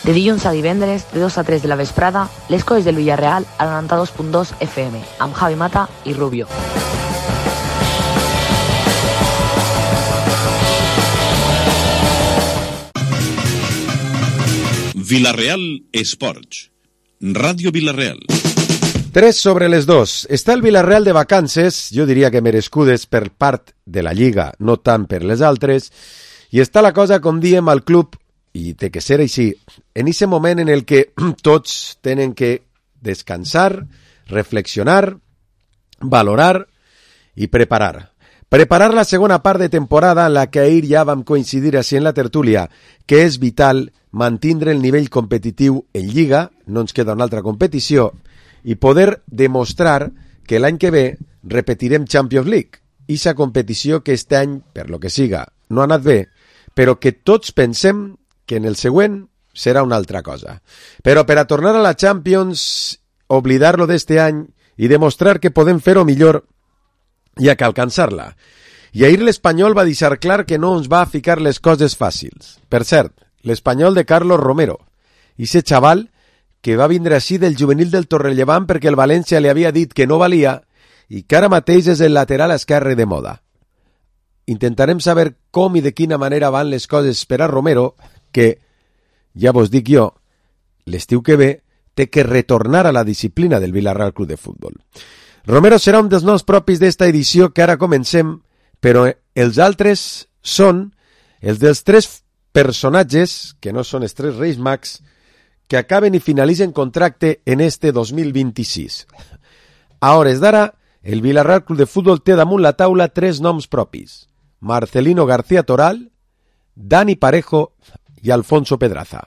De dilluns a divendres, de 2 a 3 de la vesprada, les coses del Villarreal a 92.2 FM, amb Javi Mata i Rubio. Villarreal Esports. Ràdio Villarreal. 3 sobre les 2. Està el Villarreal de vacances, jo diria que merescudes per part de la Lliga, no tant per les altres, i està la cosa, com diem, al club, i té que ser així, en aquest moment en el que tots tenen que descansar, reflexionar, valorar i preparar. Preparar la segona part de temporada en la que ahir ja vam coincidir així en la tertúlia, que és vital mantindre el nivell competitiu en Lliga, no ens queda una altra competició, i poder demostrar que l'any que ve repetirem Champions League, ixa competició que este any, per lo que siga, no ha anat bé, però que tots pensem que en el següent serà una altra cosa. Però per a tornar a la Champions, oblidar-lo d'este any i demostrar que podem fer-ho millor, hi ha que alcançar-la. I ahir l'Espanyol va deixar clar que no ens va ficar les coses fàcils. Per cert, l'Espanyol de Carlos Romero, ese xaval que va vindre així del juvenil del Torrellevant perquè el València li havia dit que no valia i que ara mateix és el lateral esquerre de moda. Intentarem saber com i de quina manera van les coses per a Romero, que, ja vos dic jo, l'estiu que ve té que retornar a la disciplina del Villarreal Club de Futbol. Romero serà un dels noms propis d'esta edició que ara comencem, però els altres són els dels 3 personatges, que no són els 3 Reis Mags, que acaben i finalitzen contracte en este 2026. A hores d'ara, el Villarreal Club de Futbol té damunt la taula 3 noms propis: Marcelino García Toral, Dani Parejo i Alfonso Pedraza.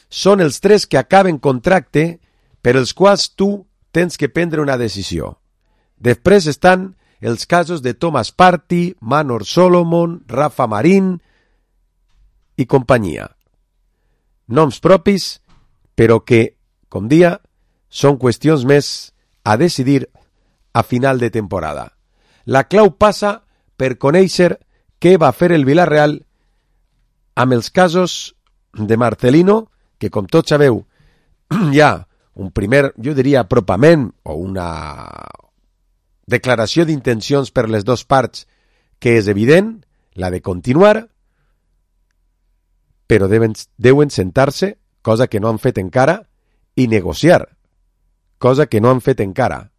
Són els 3 que acaben contracte per els quals tu tens que prendre una decisió. Després estan els casos de Thomas Partey, Manor Solomon, Rafa Marín i companyia. Noms propis, però que, com dia, són qüestions més a decidir a final de temporada. La clau passa per conèixer què va fer el Villarreal amb els casos de Marcelino, que com tots sabeu hi ha un primer, jo diria, apropament o una declaració d'intencions per les 2 parts que és evident, la de continuar, però deuen sentar-se, cosa que no han fet encara, i negociar, cosa que no han fet encara.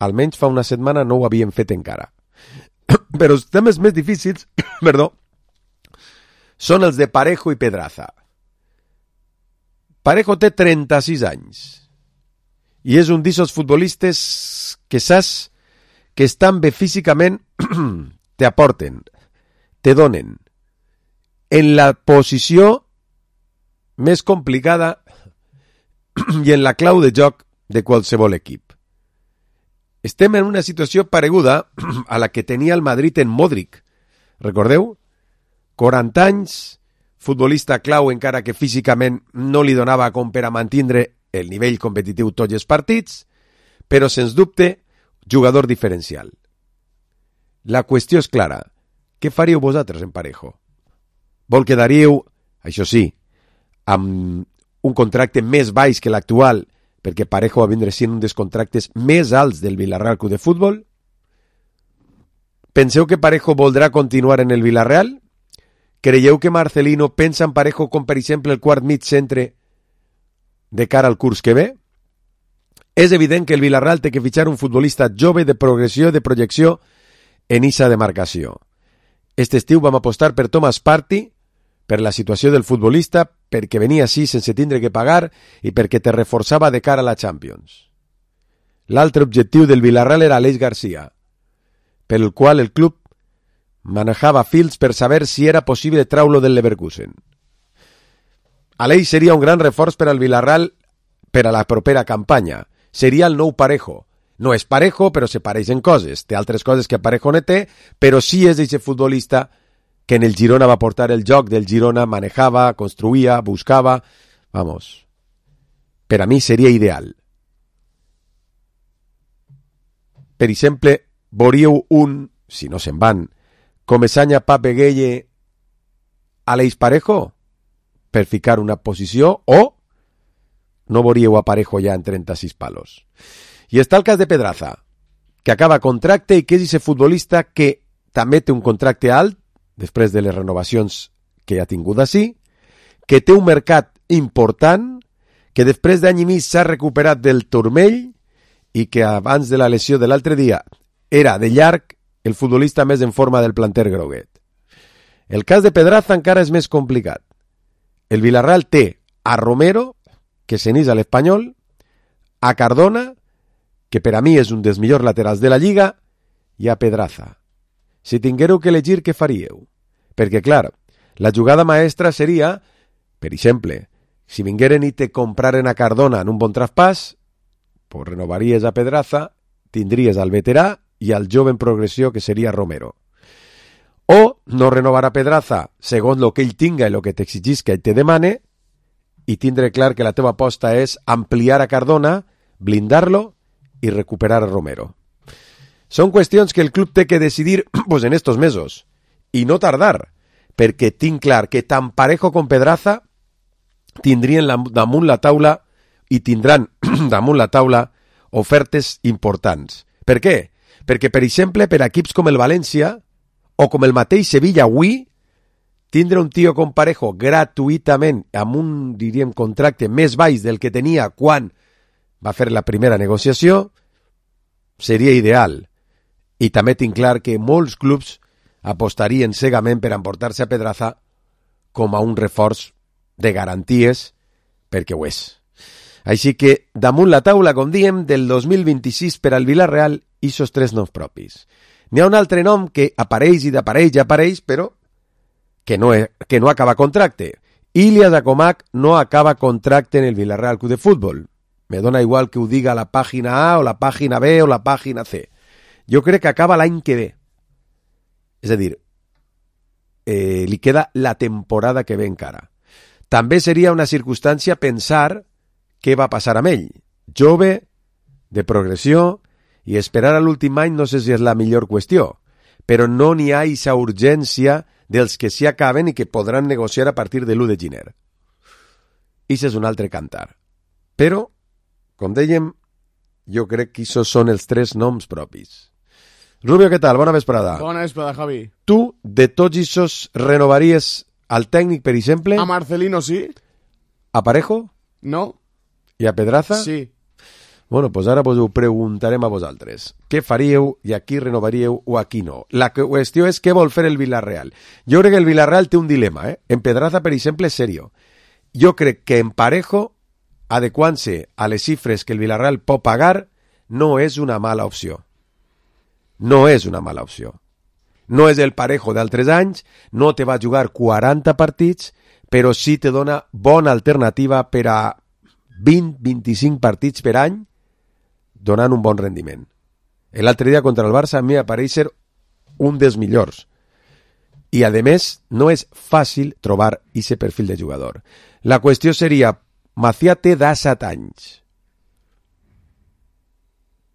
Almenys fa una setmana no ho havien fet encara. Però els temes més difícils, són els de Parejo i Pedraza. Parejo té 36 anys i és un d'aquests futbolistes que saps que estan bé físicament, te aporten, te donen en la posició més complicada i en la clau de joc de qualsevol equip. Estem en una situació pareguda a la que tenia el Madrid en Modric. Recordeu? 40 anys, futbolista clau encara que físicament no li donava com per a mantindre el nivell competitiu tots els partits, però sens dubte jugador diferencial. La qüestió és clara. Què faríeu vosaltres en Parejo? Vol quedaríeu, això sí, amb un contracte més baix que l'actual, perquè Parejo va vindre sent un dels contractes més alts del Villarreal Club de Futbol? Penseu que Parejo voldrà continuar en el Villarreal? Creieu que Marcelino pensa en Parejo com, per exemple, el quart mig centre de cara al curs que ve? És evident que el Villarreal té que fitxar un futbolista jove de progressió, de projecció en issa demarcació. Este estiu vam apostar per Thomas Partey, per la situació del futbolista, perquè venia així sense tindre que pagar i perquè te reforçava de cara a la Champions. L'altre objectiu del Villarreal era Aleix Garcia, per el qual el club manejava fils per saber si era possible treure-lo del Leverkusen. Aleix seria un gran reforç per al Villarreal per a la propera campanya. Seria el nou Parejo. No és Parejo, però se pareixen coses. Té altres coses que Parejo no té, però sí és d'aquest futbolista que en el Girona va portar el joc del Girona, manejava, construïa, buscava. Vamos. Per a mi seria ideal. Per exemple, veuríeu un, si no se'n van, Comesaña, Pape Gueye, Aleix Parejo, per ficar una posició, o no veuríeu a Parejo ja en 36 palos. I està el cas de Pedraza, que acaba contracte i que és ese futbolista que també té un contracte alt, després de les renovacions que ha tingut així, que té un mercat important, que després d'any i mig s'ha recuperat del turmell i que abans de la lesió de l'altre dia era de llarg el futbolista més en forma del planter groguet. El cas de Pedraza encara és més complicat. El Villarreal té a Romero, que s'enís a l'Espanyol, a Cardona, que per a mi és un dels millors laterals de la Lliga, i a Pedraza. Si tinguéreu que elegir, què faríeu? Perquè, clar, la jugada maestra seria, per exemple, si vingueren i te compraren a Cardona en un bon traspàs, pues renovaries a Pedraza, tindries al veterà i al jove en progressió, que seria Romero. O no renovar a Pedraza segons el que ell tinga i el que t'exigisca i te demane, i tindre clar que la teva aposta és ampliar a Cardona, blindar-lo i recuperar a Romero. Són qüestions que el club té que decidir pues, en estos mesos, i no tardar, perquè tinc clar que tant Parejo com Pedraza tindrien damunt la taula i tindran damunt la taula ofertes importants. Per què? Perquè, per exemple, per equips com el València o com el mateix Sevilla avui, tindre un tio com Parejo gratuïtament amb un, diríem, contracte més baix del que tenia quan va fer la primera negociació seria ideal. I també tinc clar que molts clubs apostarien cegament per emportar-se a Pedraza com a un reforç de garanties, perquè ho és. Així que, damunt la taula, com diem, del 2026 per al Villarreal, ixos 3 noms propis. N'hi ha un altre nom que apareix i apareix, però que no acaba contracte. Ilias Akomak no acaba contracte en el Villarreal Club de Fútbol. Me dona igual que ho diga la pàgina A o la pàgina B o la pàgina C. Jo crec que acaba l'any que ve. És a dir, li queda la temporada que ve encara. També seria una circumstància pensar què va passar amb ell. Jove, de progressió, i esperar a l'últim any no sé si és la millor qüestió, però no n'hi ha aquesta urgència dels que s'hi acaben i que podran negociar a partir de l'1 de gener. Això és un altre cantar. Però, com dèiem, jo crec que això són els 3 noms propis. Rubio, què tal? Bona vesprada. Bona vesprada, Javi. Tu, de tots aquests, renovaries al tècnic, per exemple? A Marcelino sí. A Parejo? No. I a Pedraza? Sí. Bueno, doncs ara us ho preguntarem a vosaltres. Què faríeu i a qui renovaríeu o a qui no? La qüestió és què vol fer el Villarreal. Jo crec que el Villarreal té un dilema. En Pedraza, per exemple, és serio. Jo crec que en Parejo, adequant-se a les xifres que el Villarreal pot pagar, no és una mala opció. No és una mala opció. No és el Parejo d'altres anys, no te va jugar 40 partits, però sí te dona bona alternativa per a 20-25 partits per any, donant un bon rendiment. L'altre dia contra el Barça a mi apareix ser un dels millors. I, a més, no és fàcil trobar aquest perfil de jugador. La qüestió seria, Macià té 17 anys.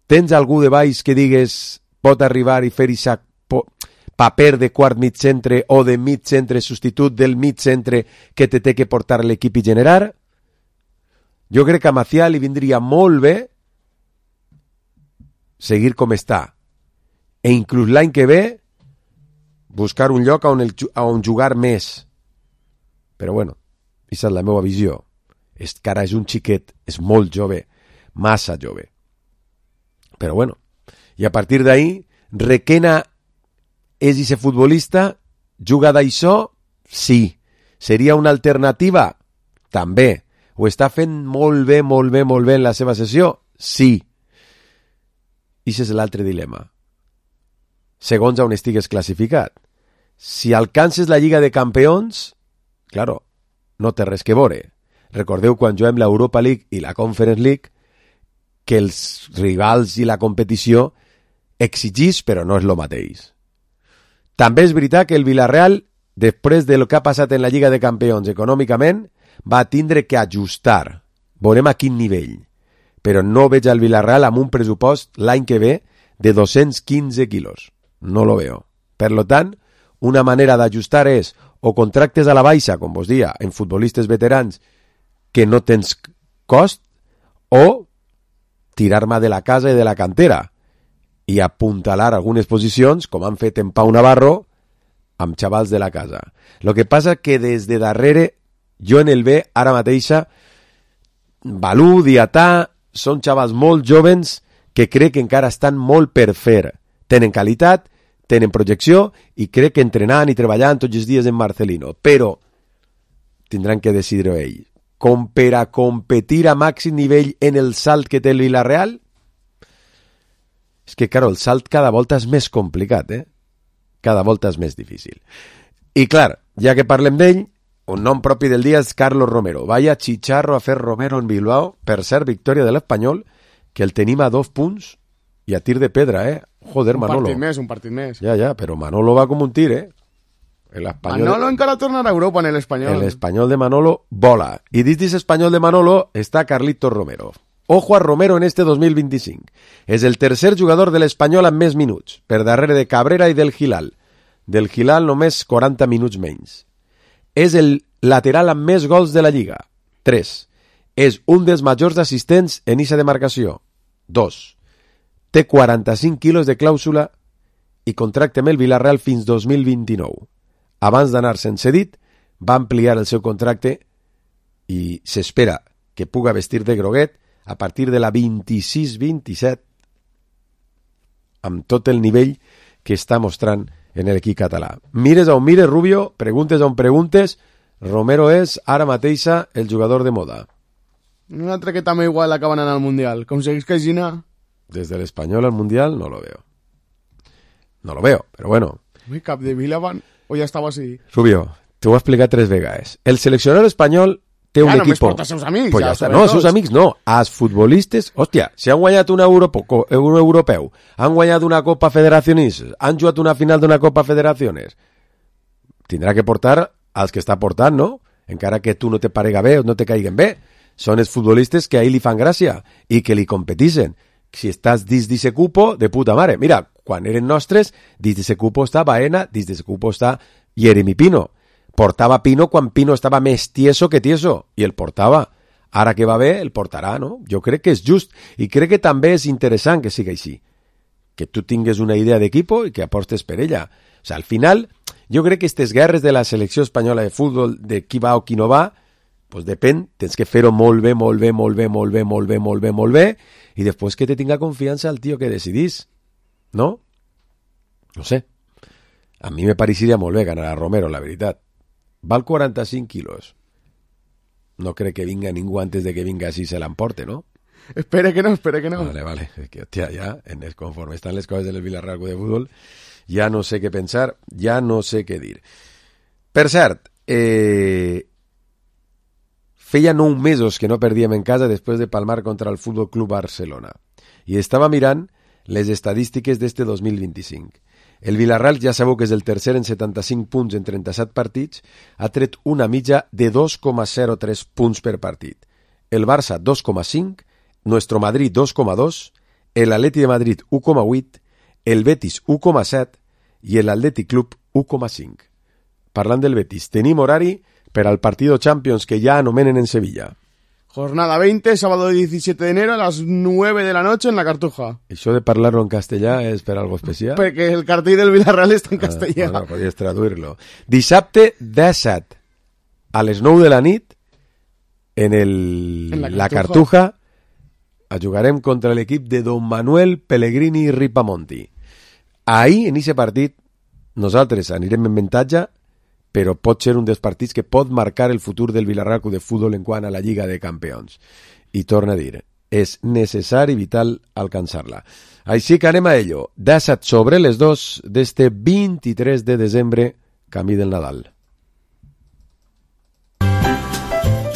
Tens algú de baix que digues pot arribar i fer aquest paper de quart mig centre o de mig centre substitut del mig centre que te té que portar l'equip i generar? Jo crec que a Macià li vindria molt bé seguir com està. E inclús l'any que ve buscar un lloc on jugar més. Però bueno, aquesta és la meva visió. Cara, és un xiquet, és molt jove, massa jove. Però bueno, i a partir d'ahí, Requena és ese futbolista, juga d'això? Sí. Seria una alternativa? També. Ho està fent molt bé en la seva sessió? Sí. I aquest és l'altre dilema. Segons on estigues classificat. Si alcances la Lliga de Campions, claro, no té res que veure. Recordeu quan juguem l'Europa League i la Conference League que els rivals i la competició exigís, però no és el mateix. També és veritat que el Villarreal, després del que ha passat en la Lliga de Campions econòmicament, va tindre que ajustar. Veurem a quin nivell. Però no veig al Villarreal amb un pressupost l'any que ve de 215 quilos. No lo veo. Per lo tant, una manera d'ajustar és o contractes a la baixa, com vos dia, en futbolistes veterans que no tens cost o tirar-me de la casa i de la cantera i apuntalar algunes posicions, com han fet en Pau Navarro, amb xavals de la casa. Lo que passa que des de darrere, jo en el B, ara mateixa, Balú, Diatà, són xavals molt jovens que crec que encara estan molt per fer. Tenen qualitat, tenen projecció i crec que entrenant i treballant tots els dies en Marcelino. Però tindran que decidir-ho ells. Com per a competir a màxim nivell en el salt que té el Villarreal, és que, claro, el salt cada volta és més complicat, Cada volta és més difícil. I, clar, ja que parlem d'ell, un nom propi del dia és Carlos Romero. Vaya chicharro a fer Romero en Bilbao. Per cert, victòria de l'Espanyol, que el tenim a 2 punts i a tir de pedra, Joder, Manolo. Un partit més. Ja, però Manolo va com un tir, Manolo encara tornarà a Europa en l'Espanyol. El Espanyol de Manolo vola. I dins d'aquest Espanyol de Manolo està Carlitos Romero. Ojo a Romero en este 2025. És el tercer jugador de l'Espanyol amb més minuts, per darrere de Cabrera i del Gilal. Del Gilal només 40 minuts menys. És el lateral amb més gols de la Lliga, 3. És un dels majors assistents en eixa demarcació, 2. Té 45 quilos de clàusula i contracte amb el Villarreal fins 2029. Abans d'anar-se'n cedit, va ampliar el seu contracte i s'espera que puga vestir de groguet a partir de la 26-27 amb tot el nivell que està mostrant en l'equip català. Mires on mires, Rubio, preguntes on preguntes, Romero és ara mateixa el jugador de moda. Un altre que també igual acaba anant al Mundial. Com segueix Caixina? Des de l'Espanyol al Mundial no lo veo. No lo veo, però bueno. Ui, cap de Vila van... O ja estava així? Rubio, t'ho he explicat 3 vegades. El seleccionador espanyol té un equip... Ja només porta els seus amics. Pues ja està. No, els seus amics no. Els futbolistes... Hòstia, si han guanyat un europeu, han guanyat una Copa Federaciones, han jugat una final d'una Copa Federaciones, tindrà que portar als que està portant, no? Encara que tu no te parega bé o no te caiguen bé. Són els futbolistes que a ell li fan gràcia i que li competixen. Si estàs dins d'aquest cupo, de puta mare. Mira, quan eren nostres, dins d'aquest cupo està Baena, dins d'aquest cupo està Jeremy Pino. Portava Pino quan Pino estava més tieso que tieso, i el portava. Ara que va bé, el portarà, no? Jo crec que és just, i crec que també és interessant que sigui així. Que tu tingues una idea d'equipo i que apostes per ella. O sigui, al final, jo crec que aquestes guerres de la selecció espanyola de futbol, de qui va o qui no va, pues depèn, tens que fer-ho molt bé, i després que te tinga confiança el tio que decidís, no? No sé. A mi me pareixeria molt bé ganar a Romero, la veritat. Val 45 quilos. No crec que vinga ningú antes de que vinga així se l'emporte, ¿no? Espera que no. Vale. Es que, hòstia, ja, conforme estan les coses del Villarreal de Futbol, ja no sé què pensar, ja no sé què dir. Per cert, feia 9 mesos que no perdíem en casa després de palmar contra el Futbol Club Barcelona. I estava mirant les estadístiques d'este 2025. El Villarreal, ja sabeu que és el tercer en 75 punts en 37 partits, ha tret una mitja de 2,03 punts per partit. El Barça, 2,5, Nuestro Madrid, 2,2, el Atleti de Madrid, 1,8, el Betis, 1,7 i l'Atlètic Club, 1,5. Parlant del Betis, tenim horari per al partido Champions que ya anomenen en Sevilla. Jornada 20, sábado 17 de enero a las 9 de la noche en la Cartuja. Això de parlar-lo en castellà és per algo especial? Perquè el cartell del Villarreal està en castellà. Bueno, podies traduir-lo. Dissabte 17 a les 9 de la nit en la Cartuja jugarem contra l'equip de Don Manuel Pellegrini i Ripamonti. Ahir, en aquest partit, nosaltres anirem en avantatge, però pot ser un dels partits que pot marcar el futur del Villarreal de Futbol en quant a la Lliga de Campions. I torna a dir, és necessari i vital alcançar-la. Així que anem a ello. 17 sobre les 2 d'este 23 de desembre, camí del Nadal.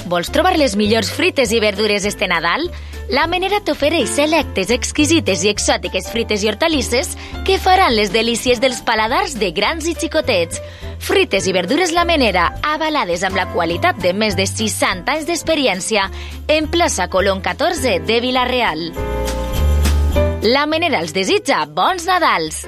Vols trobar les millors frites i verdures este Nadal? La Menera t'ofereix selectes, exquisites i exòtiques frites i hortalisses que faran les delícies dels paladars de grans i xicotets. Frites i verdures La Menera, avalades amb la qualitat de més de 60 anys d'experiència, en plaça Colón 14 de Vila-real. La Menera els desitja bons Nadals!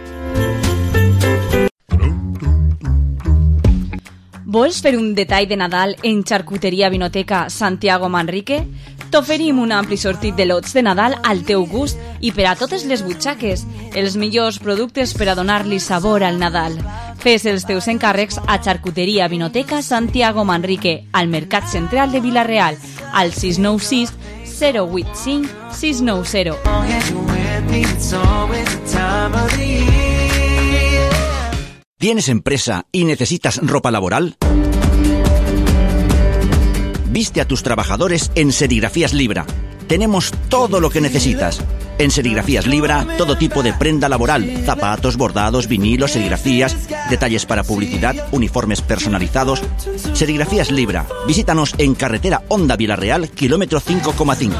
Vols fer un detall de Nadal en Xarcuteria Vinoteca Santiago Manrique? T'oferim un ampli sortit de lots de Nadal al teu gust i per a totes les butxaques. Els millors productes per a donar-li sabor al Nadal. Fes els teus encàrrecs a Xarcuteria Vinoteca Santiago Manrique, al Mercat Central de Vila-real, al 696 085 690. ¿Tienes empresa y necesitas ropa laboral? Viste a tus trabajadores en Serigrafías Libra. Tenemos todo lo que necesitas. En Serigrafías Libra, todo tipo de prenda laboral, zapatos, bordados, vinilos, serigrafías, detalles para publicidad, uniformes personalizados. Serigrafías Libra. Visítanos en carretera Honda Vila-real, kilómetro 5,5.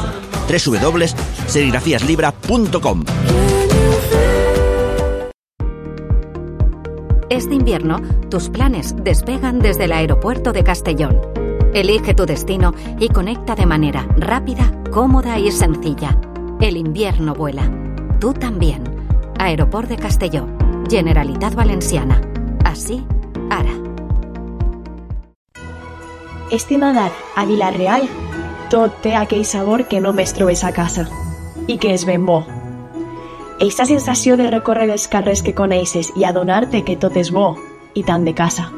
www.serigrafiaslibra.com. Este invierno, tus planes despegan desde el aeropuerto de Castellón. Elige tu destino y conecta de manera rápida, cómoda y sencilla. El invierno vuela. Tú también. Aeroport de Castelló. Generalitat Valenciana. Així, ara. Este Nadal, a Vila-real, tot té aquell sabor que només trobes a casa. I que és ben bo. Eixa sensació de recórrer els carrers que coneixes i adonar-te que tot és bo, i tant de casa.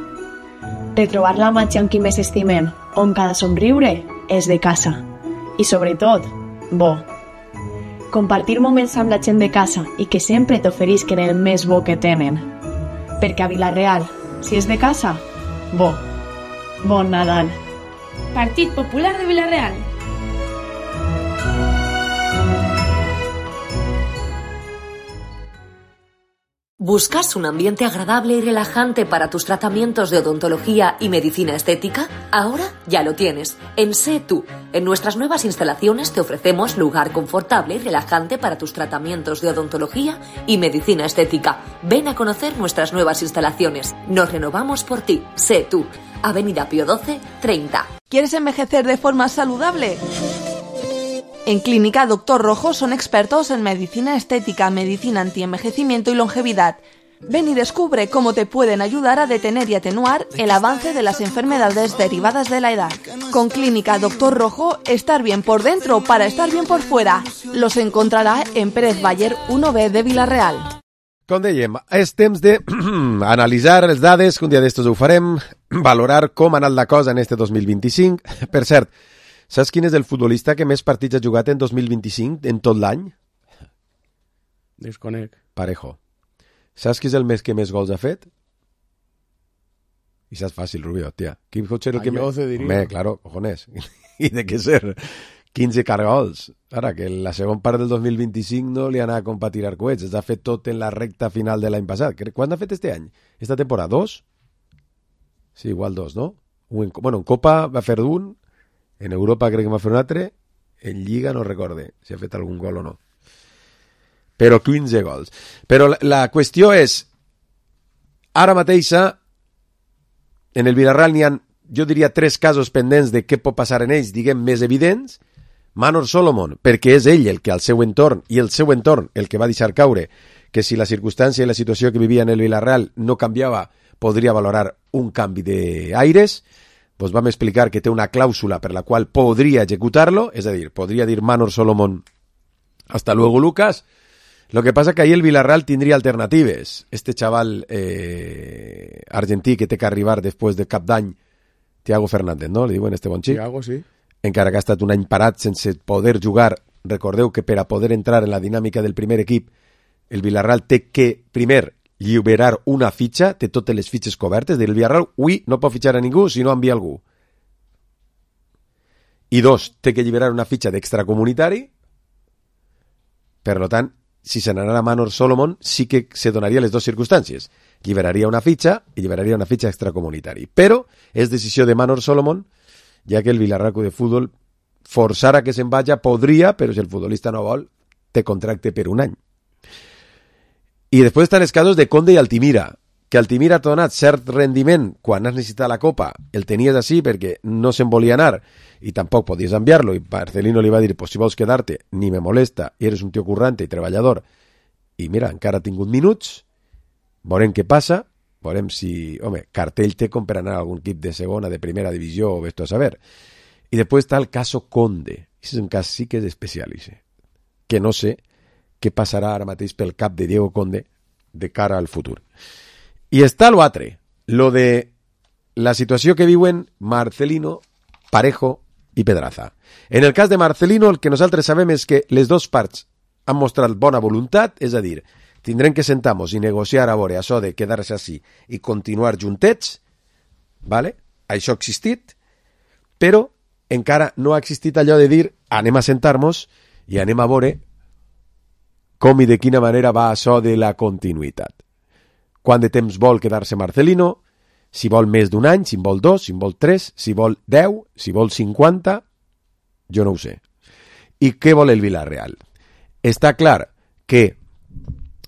De trobar la màgia amb qui més estimem, on cada somriure és de casa. I sobretot, bo. Compartir moments amb la gent de casa i que sempre t'oferisquen el més bo que tenen. Perquè a Vila-real, si és de casa, bo. Bon Nadal. Partit Popular de Vila-real. ¿Buscas un ambiente agradable y relajante para tus tratamientos de odontología y medicina estética? Ahora ya lo tienes. En Sé Tú. En nuestras nuevas instalaciones te ofrecemos lugar confortable y relajante para tus tratamientos de odontología y medicina estética. Ven a conocer nuestras nuevas instalaciones. Nos renovamos por ti. Sé Tú. Avenida Pío XII, 30. ¿Quieres envejecer de forma saludable? En Clínica Doctor Rojo son expertos en medicina estética, medicina antienvejecimiento y longevidad. Ven y descubre cómo te pueden ayudar a detener y atenuar el avance de las enfermedades derivadas de la edad. Con Clínica Doctor Rojo, estar bien por dentro para estar bien por fuera. Los encontrará en Pérez Baller 1B de Vila-real. Com dèiem, és temps d'analitzar les dades, que un dia d'estos ho farem, valorar com ha anat la cosa en este 2025. Per cert, saps quin és el futbolista que més partits ha jugat en 2025 en tot l'any? Desconec. Parejo. Saps qui és el mes que més gols ha fet? I saps fàcil, Rubio, tia. Qui pot ser el que més? Home, claro, cojones. I de què ser? 15 cargols. Ara, que la segona part del 2025 no li ha anat com per tirar coets. Es ha fet tot en la recta final de l'any passat. Quan ha fet este any? Esta temporada? 2? Sí, igual 2, no? Bueno, en Copa va fer un, en Europa crec que va fer un altre, en Lliga no recorde si ha fet algun gol o no. Però 15 gols. Però la qüestió és, ara mateixa, en el Villarreal n'hi ha, jo diria, 3 casos pendents de què pot passar en ells, diguem, més evidents. Manor Solomon, perquè és ell el que al seu entorn, i el seu entorn el que va deixar caure, que si la circumstància i la situació que vivia en el Villarreal no canviava, podria valorar un canvi d'aires. Pues vam explicar que té una clàusula per la qual podria executar-lo, és a dir, podria dir Manor Solomon, hasta luego Lucas. Lo que pasa que ahí el Villarreal tindria alternatives. Este chaval argentí que té que arribar després de cap d'any, Thiago Fernández, no? Li diuen este bon xic? Thiago, sí. Encara que ha estat un any parat sense poder jugar. Recordeu que per a poder entrar en la dinàmica del primer equip, el Villarreal té que, primer, lliberar una fitxa, té totes les fitxes cobertes. El Villarreal, avui, no pot fitxar a ningú si no envia algú. I 2, té que lliberar una fitxa d'extracomunitari. Per tant, si se n'anara Manor Solomon, sí que se donaria les dues circumstàncies. Lliberaria una fitxa i lliberaria una fitxa extracomunitari. Però és decisió de Manor Solomon, ja que el Villarreal de Futbol forçar a que se'n vagi podria, però si el futbolista no vol, té contracte per un any. I després estan els casos de Conde i Altimira, que Altimira t'ha donat cert rendiment quan has necessitat la Copa, el tenies així perquè no se'n volia anar i tampoc podies enviar-lo, i Marcelino li va dir, pues si vols quedar-te, ni me molesta, i eres un tio currante i treballador, i mira, encara ha tingut minuts, veurem què passa, veurem si, home, cartell té com per anar a algun equip de segona, de primera divisió, o vés-t'ho a saber. I després està el caso Conde. és un cas sí que és especial, que no sé què passarà ara mateix pel cap de Diego Conde de cara al futur. I està l'altre, lo de la situació que viuen Marcelino, Parejo i Pedraza. En el cas de Marcelino, el que nosaltres sabem és que les dues parts han mostrat bona voluntat, és a dir, tindrem que sentar-nos i negociar a veure això de quedar-se així i continuar juntets, ¿vale? Això ha existit, però encara no ha existit allò de dir anem a sentar-nos i anem a veure com i de quina manera va això de la continuïtat. Quant de temps vol quedar-se Marcelino, si vol més d'un any, si en vol 2, si en vol 3, si vol 10, si vol 50, jo no ho sé. I què vol el Villarreal? Està clar que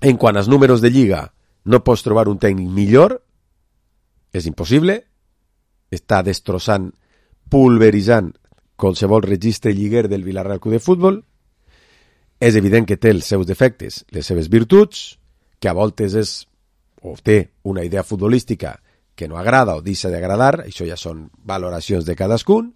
en quant als números de Lliga no pots trobar un tècnic millor, és impossible, està destrossant, pulveritzant qualsevol registre lliguer del Villarreal Club de Futbol, és evident que té els seus defectes, les seves virtuts, que a voltes és o té una idea futbolística que no agrada o deixa d'agradar, això ja són valoracions de cadascun,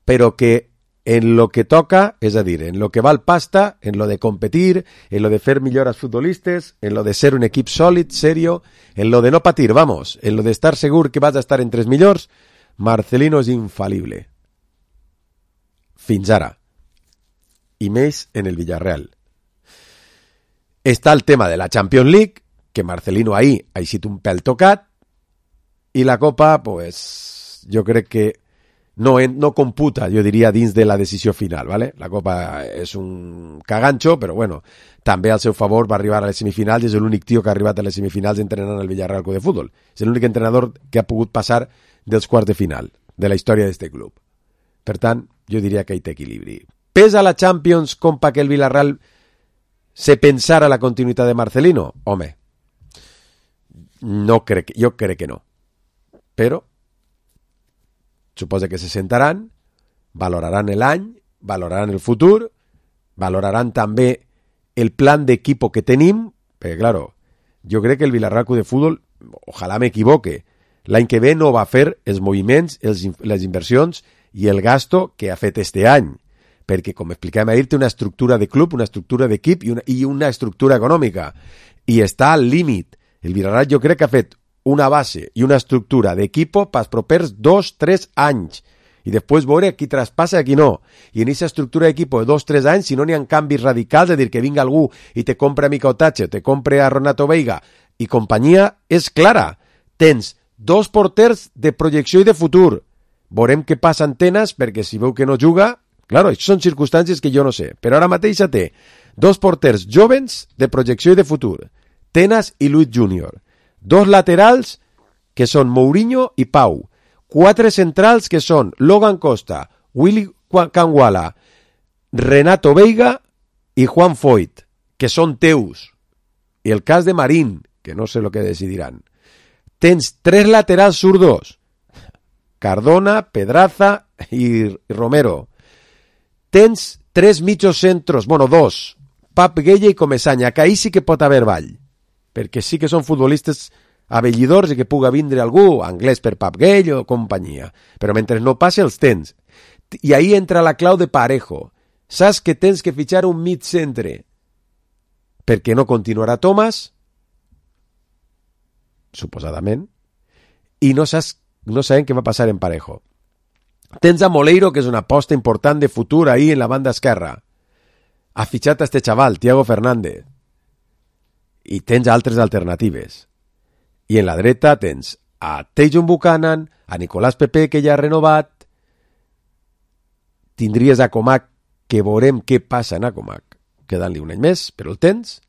però que en lo que toca, és a dir, en lo que val pasta, en lo de competir, en lo de fer millor als futbolistes, en lo de ser un equip sòlid, serio, en lo de no patir, vamos, en lo de estar segur que vas a estar entre els millors, Marcelino és infal·lible. Fins ara. I més en el Villarreal. Està el tema de la Champions League, que Marcelino ahir ha sigut un pèl tocat, i la Copa, pues, jo crec que no computa, jo diria, dins de la decisió final, ¿vale? La Copa és un cagancho, però bueno, també al seu favor va arribar a les semifinals i és l'únic tio que ha arribat a les semifinals entrenant al Villarreal Club de Futbol. És l'únic entrenador que ha pogut passar dels quarts de final de la història d'este club. Per tant, jo diria que hi té equilibri. Pesa la Champions com pa que el Villarreal se pensara la continuïtat de Marcelino? Home, jo crec que no. Però suposa que se sentaran, valoraran l'any, valoraran el futur, valoraran també el plan d'equipo que tenim, perquè, claro, jo crec que el Villarreal Club de Futbol, ojalà m'equivoque, l'any que ve no va fer els moviments, les inversions i el gasto que ha fet este any, perquè, com explicàvem ahir, té una estructura de club, una estructura d'equip i una estructura econòmica, i està al límit. El Villarreal jo crec que ha fet una base i una estructura d'equipo pels propers 2-3 anys i després veure qui traspassa i qui no. I en aquesta estructura d'equipo de 2-3 anys, si no n'hi ha canvis radicals, és a dir, que vinga algú i te compre a Mica Otache, te compre a Renato Veiga i companyia, és clara. Tens 2 porters de projecció i de futur. Veurem què passa en Tenas, perquè si veu que no juga, claro, això són circumstàncies que jo no sé, però ara mateix té 2 porters jovens de projecció i de futur, Tenas i Luis Junior. 2 laterals, que són Mourinho i Pau. 4 centrals, que són Logan Costa, Willy Canguala, Renato Veiga i Juan Foyt, que són teus. I el cas de Marín, que no sé el que decidiran. Tens 3 laterals zurdos, Cardona, Pedraza i Romero. Tens 3 mitjos centros, bueno, 2, Pap Gueye i Comesaña, que ahí sí que pot haver ball, perquè sí que són futbolistes avellidors i que puga vindre algú, anglès per Pap Gueye o companyia, però mentre no passe els tens. I ahí entra la clau de Parejo. Saps que tens que fitxar un mig centre perquè no continuarà Thomas, suposadament, i no sabem què va passar en Parejo. Tens a Moleiro, que és una aposta important de futur ahí en la banda esquerra. Ha fitxat a este xaval, Thiago Fernández. I tens altres alternatives. I en la dreta tens a Tejon Buchanan, a Nicolás Pepe, que ja ha renovat. Tindries a Comac, que veurem què passa en Comac, quedant-li un any més, però el tens.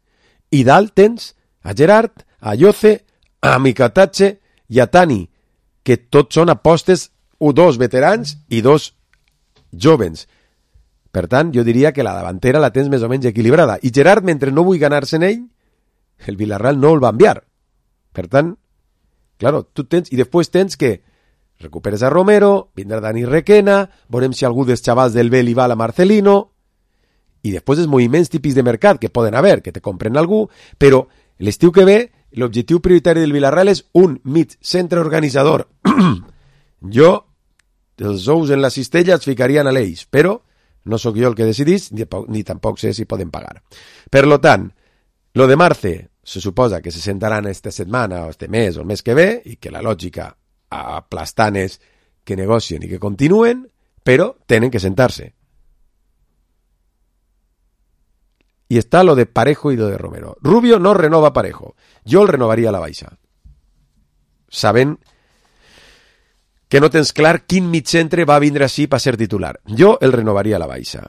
I dalt tens a Gerard, a Yoce, a Mikatache i a Tani, que tots són apostes, 2 veterans i 2 jovens. Per tant, jo diria que la davantera la tens més o menys equilibrada. I Gerard, mentre no vull ganar-se en ell, el Villarreal no el va enviar. Per tant, claro, tu tens, i després tens que recuperes a Romero, vindrà Dani Requena, veurem si algú dels xavals del B li va a Marcelino, i després els moviments típics de mercat que poden haver, que te compren algú, però l'estiu que ve, l'objectiu prioritari del Villarreal és un mig centre organitzador. Jo, els ous en la cistella els ficarien a l'eix, però No sóc jo el que decidís, ni tampoc sé si poden pagar. Per lo tant, lo de Marce se suposa que se sentaran esta setmana o este mes o el mes que ve i que la lògica aplastant és que negocien i que continuen, però tenen que sentar-se. Y está lo de Parejo y lo de Romero. Rubio no renova Parejo. Jo el renovaria a la baixa. Sabent que no tens clar quin mitcentre va vindre així per ser titular. Jo el renovaria a la baixa.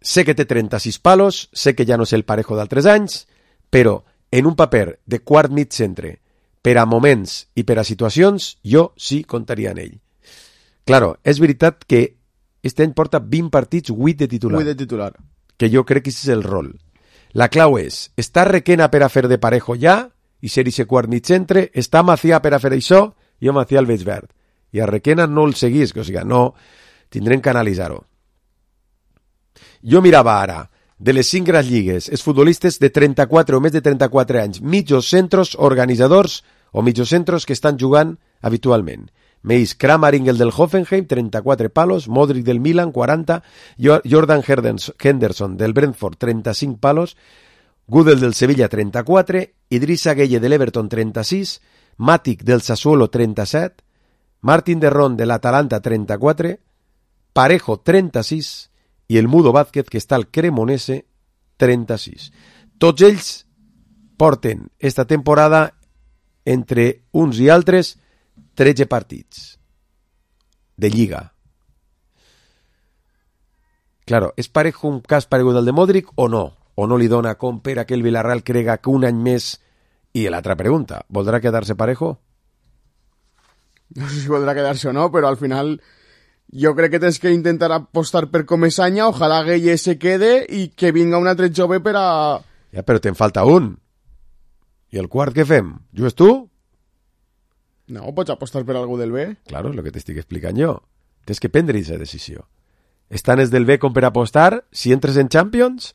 Sé que té 36 palos, sé que ja no és el Parejo d'altres anys, però en un paper de quart mitcentre, per a moments i per a situacions, jo sí comptaria en ell. Claro, és veritat que este any porta 20 partits, 8 de titular. 8 de titular. Que jo crec que és el rol. La clau és, està Requena per a fer de Parejo ja, i ser ese quart mitcentre, està Macià per a fer això, jo Macià el veig verd. I a Requena no el seguís, o sigui, no, tindrem que analitzar-ho. Jo mirava ara, de les 5 grans lligues, els futbolistes de 34 o més de 34 anys, mitjos centros organitzadors o mitjos centros que estan jugant habitualment. Meis Kramaringer del Hoffenheim, 34 palos, Modric del Milan, 40, Jordan Henderson del Brentford, 35 palos, Gudel del Sevilla, 34, Idrissa Gueye del Everton, 36, Matic del Sassuolo, 37, Martín de Ron de l'Atalanta, 34, Parejo, 36, i el Mudo Vázquez, que està al Cremonese, 36. Tots ells porten esta temporada entre uns i altres 13 partits de Lliga. Claro, és Parejo un cas paregut al de Modric o no? O no li dona com per a que el Villarreal crega que un any més? I l'altra pregunta, voldrà quedar-se Parejo? No sé si voldrà quedar-se o no, però al final jo crec que tens que intentar apostar per Comesaña, ojalà Gueye se quede i que vinga un altre jove per a... Ja, però te'n falta un. I el quart què fem? Jugues tu? No, pots apostar per algú del B. Claro, és el que t'estic explicant jo. Tens que prendre aquesta decisió. Estan els del B com per apostar si entres en Champions,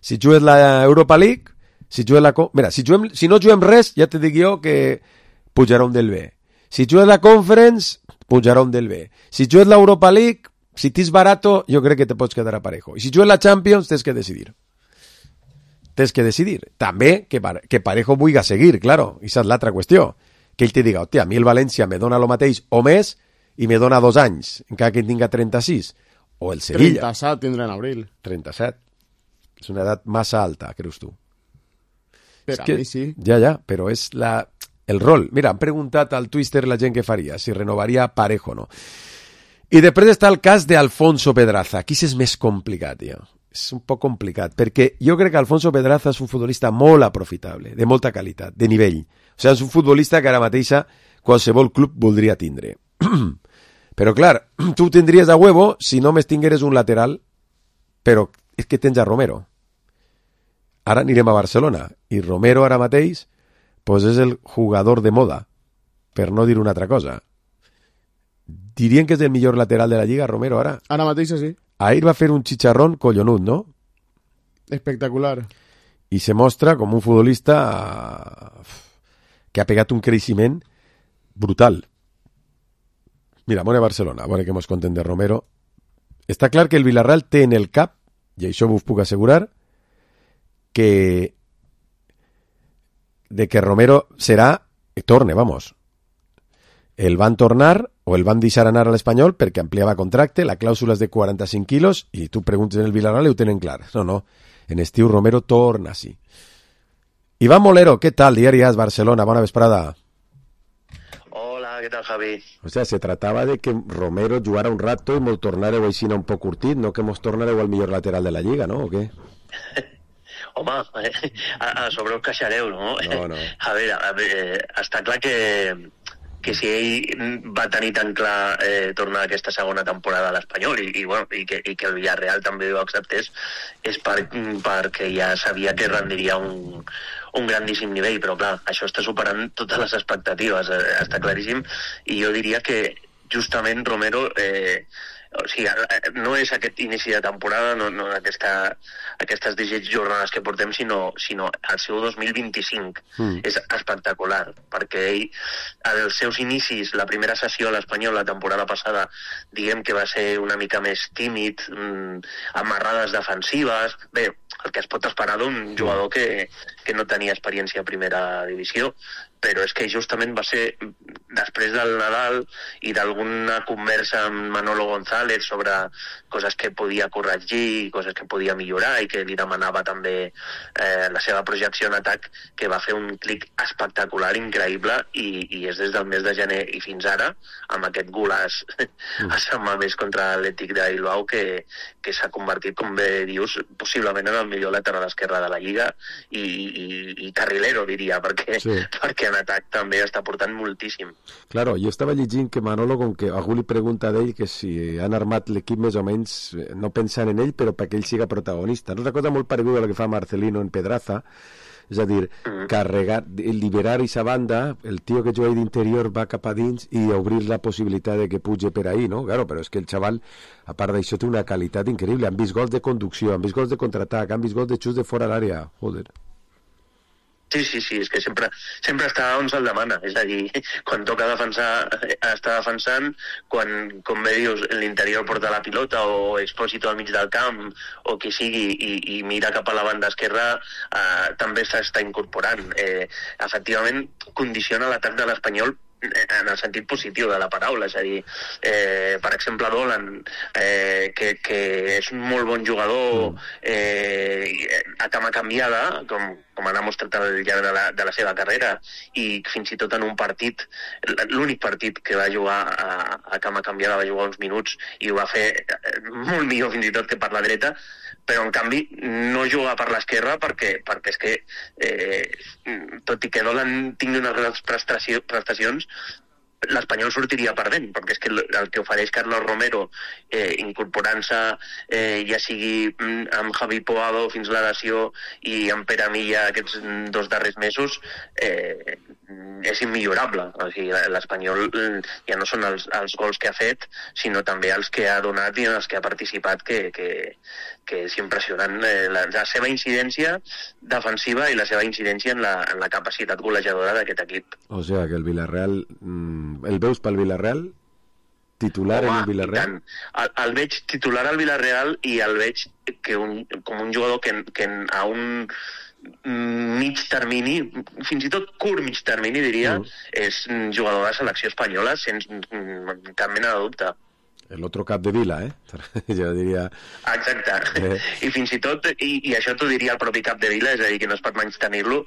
si jugues la Europa League, si jugues la... Mira, si no juguem res, ja te dic jo que pujarà un del B. Si jugues la Conference, pujarà un del B. Si jugues l'Europa League, si t'és barato, jo crec que te pots quedar a Parejo. I si jugues la Champions, tens que decidir. Tens que decidir. També que Parejo vulgui seguir, claro. I és l'altra qüestió. Que ell te diga, hòstia, a mi el València me dona el mateix o més i me dona 2 anys, encara que tinga 36. O el Sevilla. 37 tindrà en abril. 37. És una edat massa alta, creus tu? Per a mi sí. Ja, però és el rol. Mira, han preguntat al Twitter la gent què faria, si renovaria Parejo o no. I després està el cas d'Alfonso Pedraza. Aquí és més complicat, ja. És un poc complicat, perquè jo crec que Alfonso Pedraza és un futbolista molt aprofitable, de molta qualitat, de nivell. O sigui, és un futbolista que ara mateixa qualsevol club voldria tindre. Però, clar, tu tindries a huevo si només tingueres un lateral, però és que tens a Romero. Ara anirem a Barcelona, i Romero ara mateix pues és el jugador de moda, per no dir una altra cosa. Dirien que és el millor lateral de la Lliga, Romero, ara. Ara mateix sí. Ahir va fer un chicharrón collonut, no? Espectacular. I se mostra com un futbolista que ha pegat un creixement brutal. Mira, anem a Barcelona, a veure què mos conten de Romero. Està clar que el Villarreal té en el cap, i això vos puc assegurar, que Romero serà, torne, vamos. El van tornar o el van deixar anar a l'Espanyol perquè ampliava contracte, la clàusula és de 45 quilos i tu preguntes en el Villarreal i ho tenen clar. No, en estiu Romero torna sí. Iván Molero, ¿qué tal? Diari AS Barcelona, bona vesprada. Hola, ¿qué tal, Javi? O sea, se tratava de que Romero jugara un rato i mos tornareu així un poc curtit, no que mos tornareu al millor lateral de la Lliga, no? O què? Home, a sobre us queixareu, no? No. A veure, està clar que si ell va tenir tan clar tornar aquesta segona temporada a l'Espanyol i que el Villarreal també ho acceptés és perquè ja sabia que rendiria un grandíssim nivell, però clar, això està superant totes les expectatives, està claríssim, i jo diria que justament Romero o sigui, no és aquest inici de temporada, no aquestes 17 jornades que portem, sinó el seu 2025. És espectacular, perquè ell, els seus inicis, la primera sessió a l'Espanyol la temporada passada, diguem que va ser una mica més tímid, amarrades defensives, bé, el que es pot esperar d'un jugador que no tenia experiència a primera divisió, però és que justament va ser després del Nadal i d'alguna conversa amb Manolo González sobre coses que podia corregir, coses que podia millorar i que li demanava també la seva projecció en atac, que va fer un clic espectacular, increïble, i és des del mes de gener i fins ara, amb aquest golaç a Sant Mamés contra l'Atlètic de Bilbao, que s'ha convertit, com bé dius, possiblement en el millor lateral esquerre de la Lliga i carrilero, diria, perquè en atac també està portant moltíssim. Claro, jo estava llegint que Manolo, com que algú li pregunta d'ell que si han armat l'equip més o menys no pensant en ell, però perquè ell siga protagonista. No és una cosa molt pareguda a la que fa Marcelino en Pedraza, és a dir, carregar, liberar aquesta banda, el tio que juga d'interior va cap a dins i obrir la possibilitat de que puge per ahí, no? Claro, però és que el xaval, a part d'això, té una qualitat increïble. Han vist gols de conducció, han vist gols de contraatac, han vist gols de xut de fora l'àrea. Joder. Sí, és que sempre està on se'l demana, és a dir, quan toca defensar, està defensant, quan, com bé dius, l'interior porta la pilota o Expósito al mig del camp o qui sigui i mira cap a la banda esquerra, també s'està incorporant. Efectivament, condiciona l'atac de l'Espanyol en el sentit positiu de la paraula, és a dir, per exemple Dolan, que és un molt bon jugador a cama canviada, com ha demostrat al llarg de la seva carrera, i fins i tot en un partit, l'únic partit que va jugar a cama canviada va jugar uns minuts i ho va fer molt millor fins i tot que per la dreta, però en canvi no juga per l'esquerra perquè és que tot i que Dolan tingui unes grans prestacions, l'Espanyol sortiria perdent, perquè és que el que ofereix Carlos Romero, incorporant-se ja sigui amb Javi Poado fins la lesió i amb Pere Milla aquests 2 darrers mesos, és immillorable. O sigui, l'Espanyol ja no són els gols que ha fet, sinó també els que ha donat i els que ha participat, que és impressionant la seva incidència defensiva i la seva incidència en la capacitat golejadora d'aquest equip. O sigui que el Villarreal, el veus pel Villarreal? Titular en el Villarreal? El veig titular al Villarreal i el veig com un jugador que a un mig termini, fins i tot curt mig termini diria, és un jugador de selecció espanyola sense cap mena de dubte. El otro cap de Vila, jo diria... Exacte, i fins i tot, i això t'ho diria el propi cap de Vila, és a dir, que no es pot menys tenir-lo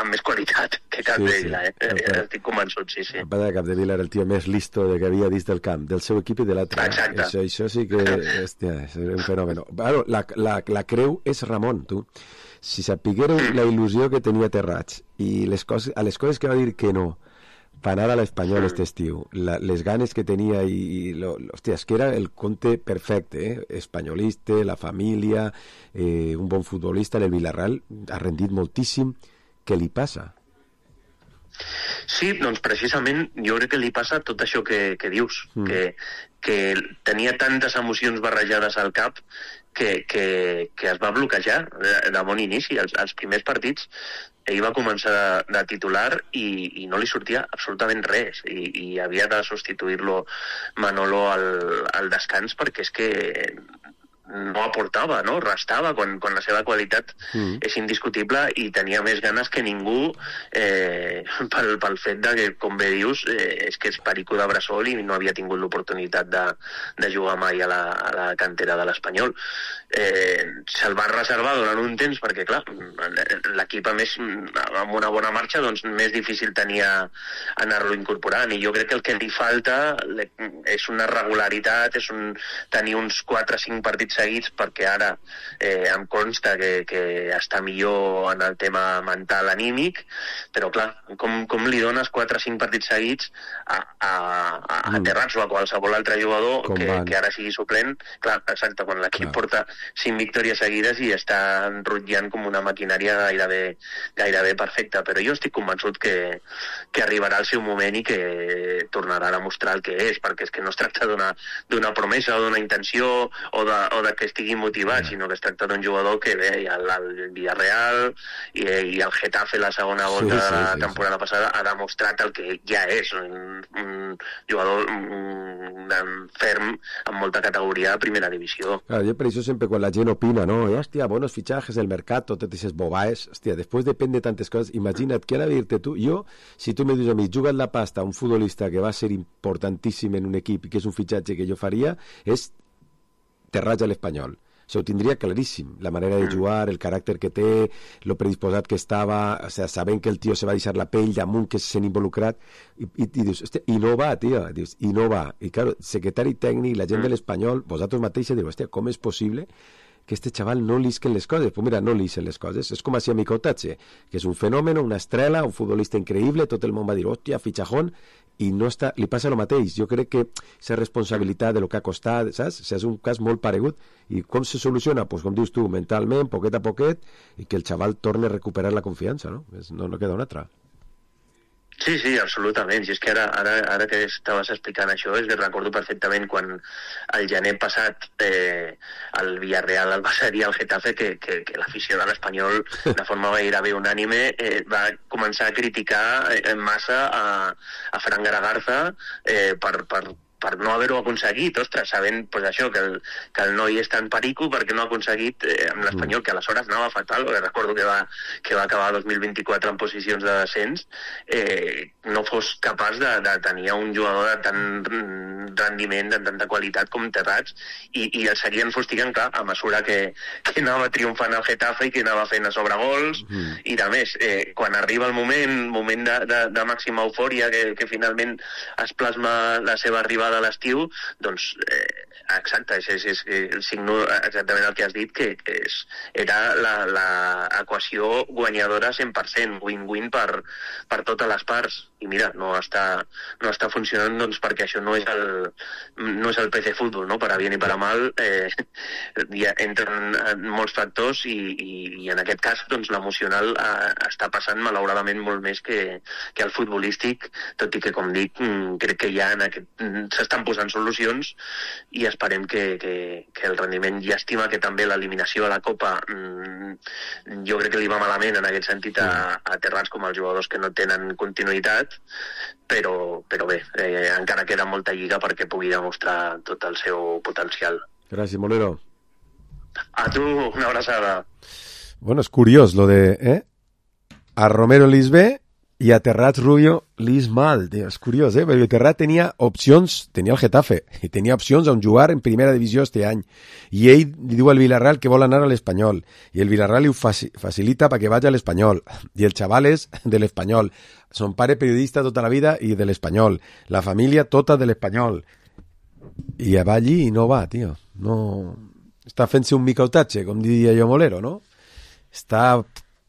amb més qualitat que cap de Vila, estic convençut, sí. El pare de cap de Vila era el tio més listo que havia dins del camp, del seu equip i de l'altre. Exacte. Això sí que és un fenomen. Bueno, la creu és Ramon, tu. Si sapiguéreu la il·lusió que tenia Terrats i a les coses que va dir que no, per anar a l'Espanyol este estiu, les ganes que tenia hòstia, és que era el conte perfecte, espanyolista, la família, un bon futbolista. El Villarreal ha rendit moltíssim. Què li passa? Sí, doncs precisament jo crec que li passa tot això que dius, que tenia tantes emocions barrejades al cap que es va bloquejar de bon inici. Els primers partits ell va començar de titular i no li sortia absolutament res i havia de substituir-lo Manolo al descans perquè és que no aportava, no? Restava quan la seva qualitat és indiscutible i tenia més ganes que ningú pel fet de que, com bé dius, és que és perico de bressol i no havia tingut l'oportunitat de jugar mai a la cantera de l'Espanyol. Se'l va reservar durant un temps perquè, clar, l'equip a més amb una bona marxa, doncs més difícil tenia anar-lo incorporant, i jo crec que el que li falta és una regularitat, és tenir uns 4 o 5 partits seguits, perquè ara em consta que està millor en el tema mental anímic, però clar, com li dones 4 o 5 partits seguits a Terrats o a qualsevol altre jugador que ara sigui suplent? Clar, exacte, quan l'equip porta 5 victòries seguides i està enrotllant com una maquinària gairebé perfecta, però jo estic convençut que arribarà el seu moment i que tornarà a demostrar el que és, perquè és que no es tracta d'una promesa o d'una intenció o de que estigui motivat, sinó que es tracta d'un jugador que ve al Villarreal i al Getafe la segona volta de la temporada passada ha demostrat el que ja és, un jugador ferm amb molta categoria de primera divisió. Claro, yo por eso siempre con la gent opina, ¿no? Hostia, buenos fichajes, el mercado, te dices bobaes, hostia, después depende de tantas cosas. Imagina't que ara dir-te tu, si tu me dius a mi, juga't la pasta a un futbolista que va a ser importantíssim en un equip i que és un fitxatge que jo faria, és Terrats a l'Espanyol. Això ho tindria claríssim, la manera de jugar, el caràcter que té, lo predisposat que estava, o sea, sabent que el tio se va deixar la pell damunt, que se sent involucrat, i dius, hòstia, i no va, tio, dius, i no va. I claro, secretari tècnic, la gent de l'Espanyol, vosaltres mateixos diu, hòstia, com és possible que este chaval no lisquen les coses? Pues mira, no lisquen les coses. És com així a Micotatge, que és un fenòmeno, una estrela, un futbolista increïble, tot el món va dir, hòstia, fitxajón, i no està, li passa el mateix. Jo crec que és responsabilitat de lo que ha costat, saps? O sigui, és un cas molt paregut. I com se soluciona? Pues com dius tu, mentalment, poquet a poquet, i que el xaval torni a recuperar la confiança, no? No queda una altra. Sí, absolutament. I és que ara que estaves explicant això, és que recordo perfectament quan el gener passat el Villarreal el va cedir al Getafe que l'afició de l'Espanyol de forma gairebé unànime va començar a criticar massa a Fran Garagarza per no haver-ho aconseguit, ostres, sabent pues, això, que el noi és tan perico perquè no ha aconseguit amb l'Espanyol, que aleshores anava fatal, perquè recordo que va acabar 2024 en posicions de descens, no fos capaç de tenir un jugador de tant rendiment, de tanta qualitat com Terrats, i el seguien fustigant, clar, a mesura que anava triomfant el Getafe i que anava fent a sobre gols, i de més, quan arriba el moment de màxima eufòria, que finalment es plasma la seva arribada de l'estiu, doncs exacte, és el signo exactament el que has dit, que era l'equació guanyadora 100%, win-win per totes les parts, i mira, no està funcionant, doncs perquè això no és el PC Fútbol, no? Per a bien i per a mal entren molts factors i en aquest cas doncs l'emocional està passant malauradament molt més que el futbolístic, tot i que com dic crec que ja s'estan posant solucions i esperem que el rendiment, llàstima que també l'eliminació a la Copa jo crec que li va malament en aquest sentit a Terrats com als jugadors que no tenen continuïtat, però bé, encara queda molta lliga perquè pugui demostrar tot el seu potencial. Gràcies, Molero. A tu, una abraçada. Bueno, és curiós lo de a Romero lis bé i a Terrats Rubio lis mal, tío. És curiós, perquè Terrat tenia opcions, tenia el Getafe, i tenia opcions on jugar en primera divisió este any, i ell li diu al Villarreal que vol anar a l'Espanyol, i el Villarreal li ho facilita perquè vagi a l'Espanyol, i el xaval és de l'Espanyol, son pare periodista tota la vida i de l'Espanyol, la família tota de l'Espanyol, i va allí i no va, tio, no... Està fent-se un micotatge, com diria jo Molero, no? Està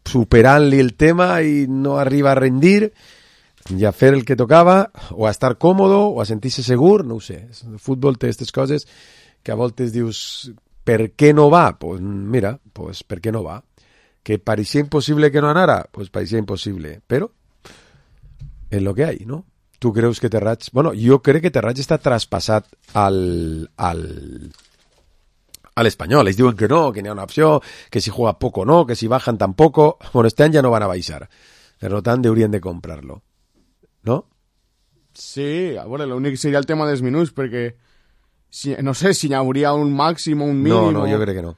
superant-li el tema i no arriba a rendir i a fer el que tocava, o a estar còmodo, o a sentir-se segur, no ho sé. El futbol té aquestes coses que a voltes dius, per què no va? Pues mira, pues per què no va? Que pareixia impossible que no anara? Pues pareixia impossible, però és lo que hay, ¿no? Tu creus que Terrats... Bueno, jo crec que Terrats està traspassat a l'Espanyol. Ells diuen que no, que n'hi ha una opció, que si juega poco no, que si bajan tampoco. Bueno, este any ja no van a baixar. Per tant, haurien de comprar-lo. ¿No? Sí, a veure, l'únic seria el tema dels minuts, perquè no sé si hi hauria un màxim o un mínim. No, jo crec que no.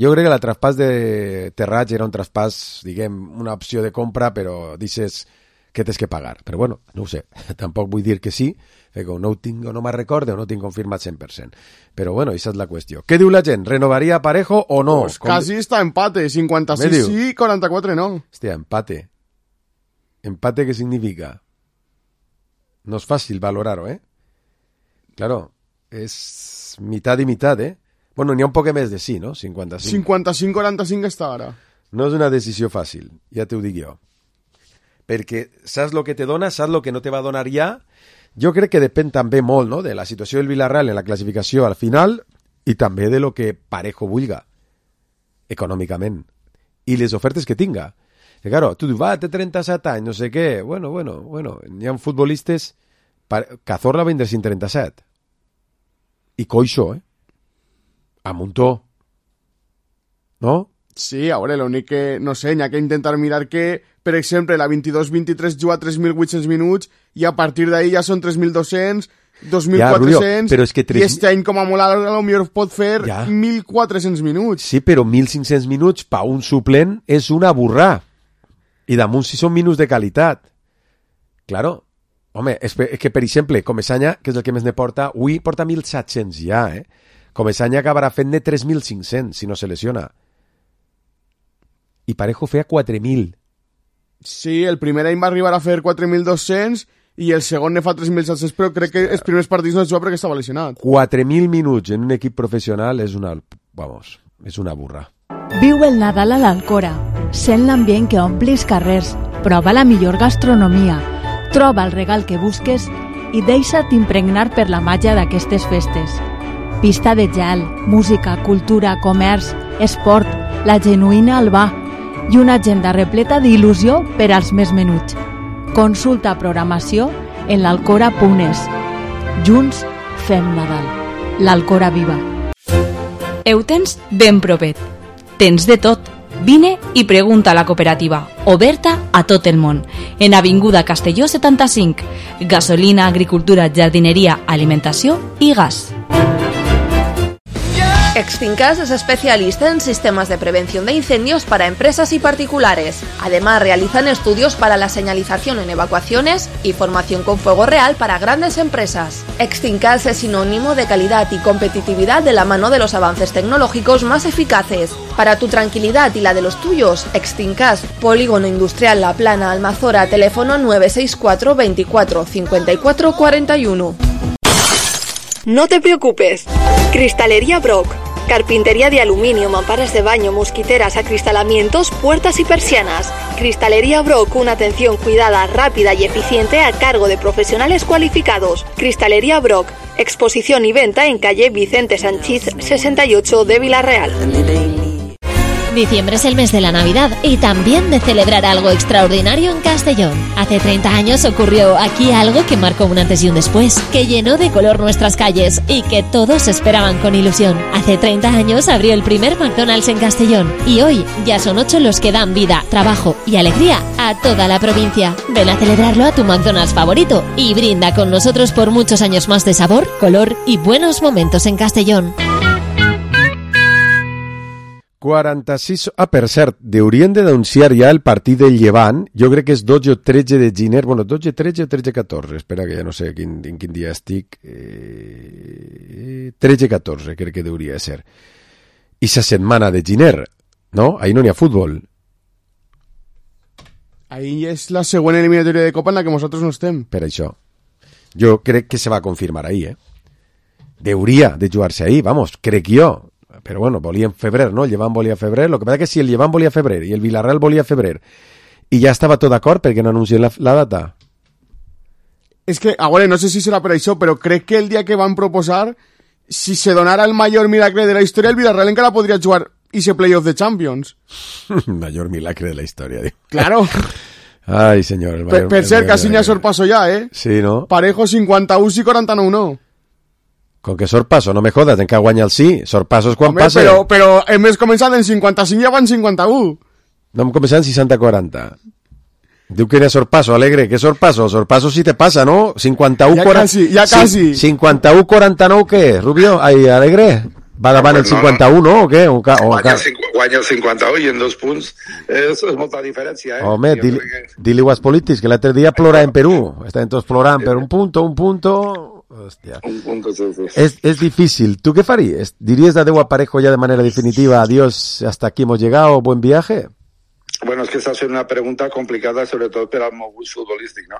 Jo crec que el traspàs de Terrats era un traspàs, diguem, una opció de compra, però dices que tens que pagar. Però bueno, no ho sé. Tampoc vull dir que sí, perquè no ho tinc, no me'n recorde o no tinc confirmat 100%. Però bueno, aquesta és la qüestió. Què diu la gent? ¿Renovaria Parejo o no? Pues casi está empate, 56 sí, 44 no. Hòstia, empate. ¿Empate qué significa? No es fácil valorarlo, ¿eh? Claro, es mitad y mitad, ¿eh? Bueno, n'hi ha un poc més de sí, no? 55. 55-45 està ara. No és una decisió fàcil, ja t'ho dic jo. Perquè saps el que te dona, saps el que no te va donar ja. Jo crec que depèn també molt, no?, de la situació del Villarreal en la classificació al final i també de lo que Parejo vulga econòmicament i les ofertes que tinga. Que claro, tu dius, té 37 anys, no sé què. Bueno, n'hi ha futbolistes... Cazorla va vindre sin 37. I Coixo, a Montó. No? Sí, a veure, l'únic que, no sé, n'hi ha que intentar mirar que, per exemple, la 22-23 juga 3.800 minuts i a partir d'ahí ja són 3.200, 2.400, però és que i este any com a molt a lo millor pot fer 1.400 minuts. Sí, però 1.500 minuts per un suplent és una burrà. I damunt si són minuts de qualitat. Claro. Home, és que, per exemple, Comesaña, que és el que més ne porta, avui porta 1.700 ja, Comesaña acabarà fent-ne 3.500 si no se lesiona. I Parejo feia 4.000. Sí, el primer any va arribar a fer 4.200 i el segon ne fa 3.700, però crec que els primers partits no es juga perquè estava lesionat. 4.000 minuts en un equip professional és una... Vamos, és una burra. Viu el Nadal a l'Alcora. Sent l'ambient que ompli els carrers. Prova la millor gastronomia. Troba el regal que busques i deixa't impregnar per la màgia d'aquestes festes. Pista de gel, música, cultura, comerç, esport, la genuïna Albà i una agenda repleta d'il·lusió per als més menuts. Consulta programació en l'alcora.es. Junts fem Nadal. L'Alcora viva. Ho tens ben propet. Tens de tot. Vine i pregunta a la cooperativa, oberta a tot el món. En Avinguda Castelló 75. Gasolina, agricultura, jardineria, alimentació i gas. Extincas es especialista en sistemas de prevención de incendios para empresas y particulares. Además, realizan estudios para la señalización en evacuaciones y formación con fuego real para grandes empresas. Extincas es sinónimo de calidad y competitividad de la mano de los avances tecnológicos más eficaces. Para tu tranquilidad y la de los tuyos, Extincas, Polígono Industrial La Plana, Almazora, teléfono 964 24 54 41. No te preocupes. Cristalería Brock. Carpintería de aluminio, mamparas de baño, mosquiteras, acristalamientos, puertas y persianas. Cristalería Brock, una atención cuidada, rápida y eficiente a cargo de profesionales cualificados. Cristalería Brock, exposición y venta en calle Vicente Sanchís 68 de Villarreal. Diciembre es el mes de la Navidad y también de celebrar algo extraordinario en Castellón. Hace 30 años ocurrió aquí algo que marcó un antes y un después, que llenó de color nuestras calles y que todos esperaban con ilusión. Hace 30 años abrió el primer McDonald's en Castellón y hoy ya son 8 los que dan vida, trabajo y alegría a toda la provincia. Ven a celebrarlo a tu McDonald's favorito y brinda con nosotros por muchos años más de sabor, color y buenos momentos en Castellón. 46... per cert, haurien de denunciar ja el partit del Llevant. Jo crec que és 12 o 13 de gener. Bueno, 12, 13 o 13, 14. Espera, que ja no sé en quin dia estic. 13, 14 crec que hauria de ser. I sa setmana de gener, no? Ahí no n'hi ha futbol. Ahí és la següent eliminatòria de Copa en la que nosaltres no estem. Per això. Jo crec que se va confirmar ahí, Hauria de jugar-se ahí, vamos, crec jo. Però bueno, volia en febrer, no? El Llevant volia febrer. Lo que passa és que si el Llevant volia febrer i el Villarreal volia febrer i ja estava tot d'acord perquè no anuncien la data. És que, a veure, no sé si serà per això, però crec que el dia que van proposar, si se donara el major miracle de la història, el Villarreal encara podria jugar ese playoff de Champions. Major milagre de la història, diu. Claro. Ai, senyor. Per cert, quasi n'hi ha sorpasso ja, Sí, no? Parejo 51 i 49 no. Con que sorpasso, no me jodas, en que guanya el sí. Sorpassos quan passa. Però hem començat en 55 i ja van 51. No hem començat en 60-40. Diu que era sorpasso, Alegre. ¿Qué sorpasso? Sorpasso sí te passa, ¿no? 51-40... Ja quasi. 51-49, què? Rubio? Ai, Alegre? Va davant el 51, no? O què? Guanya el 51 i en 2 punts és molta diferència, Home, dili-ho als polítics, que l'altre dia plora en Perú. Estaven tots plorant per un punto... Hostia. Un punto, sí. Es difícil. ¿Tú qué farías? ¿Dirías adeu a Parejo ya de manera definitiva? Adiós, hasta aquí hemos llegado, buen viaje? Bueno, és que s'ha fet una pregunta complicada, sobretot per al meu gust futbolístic, no?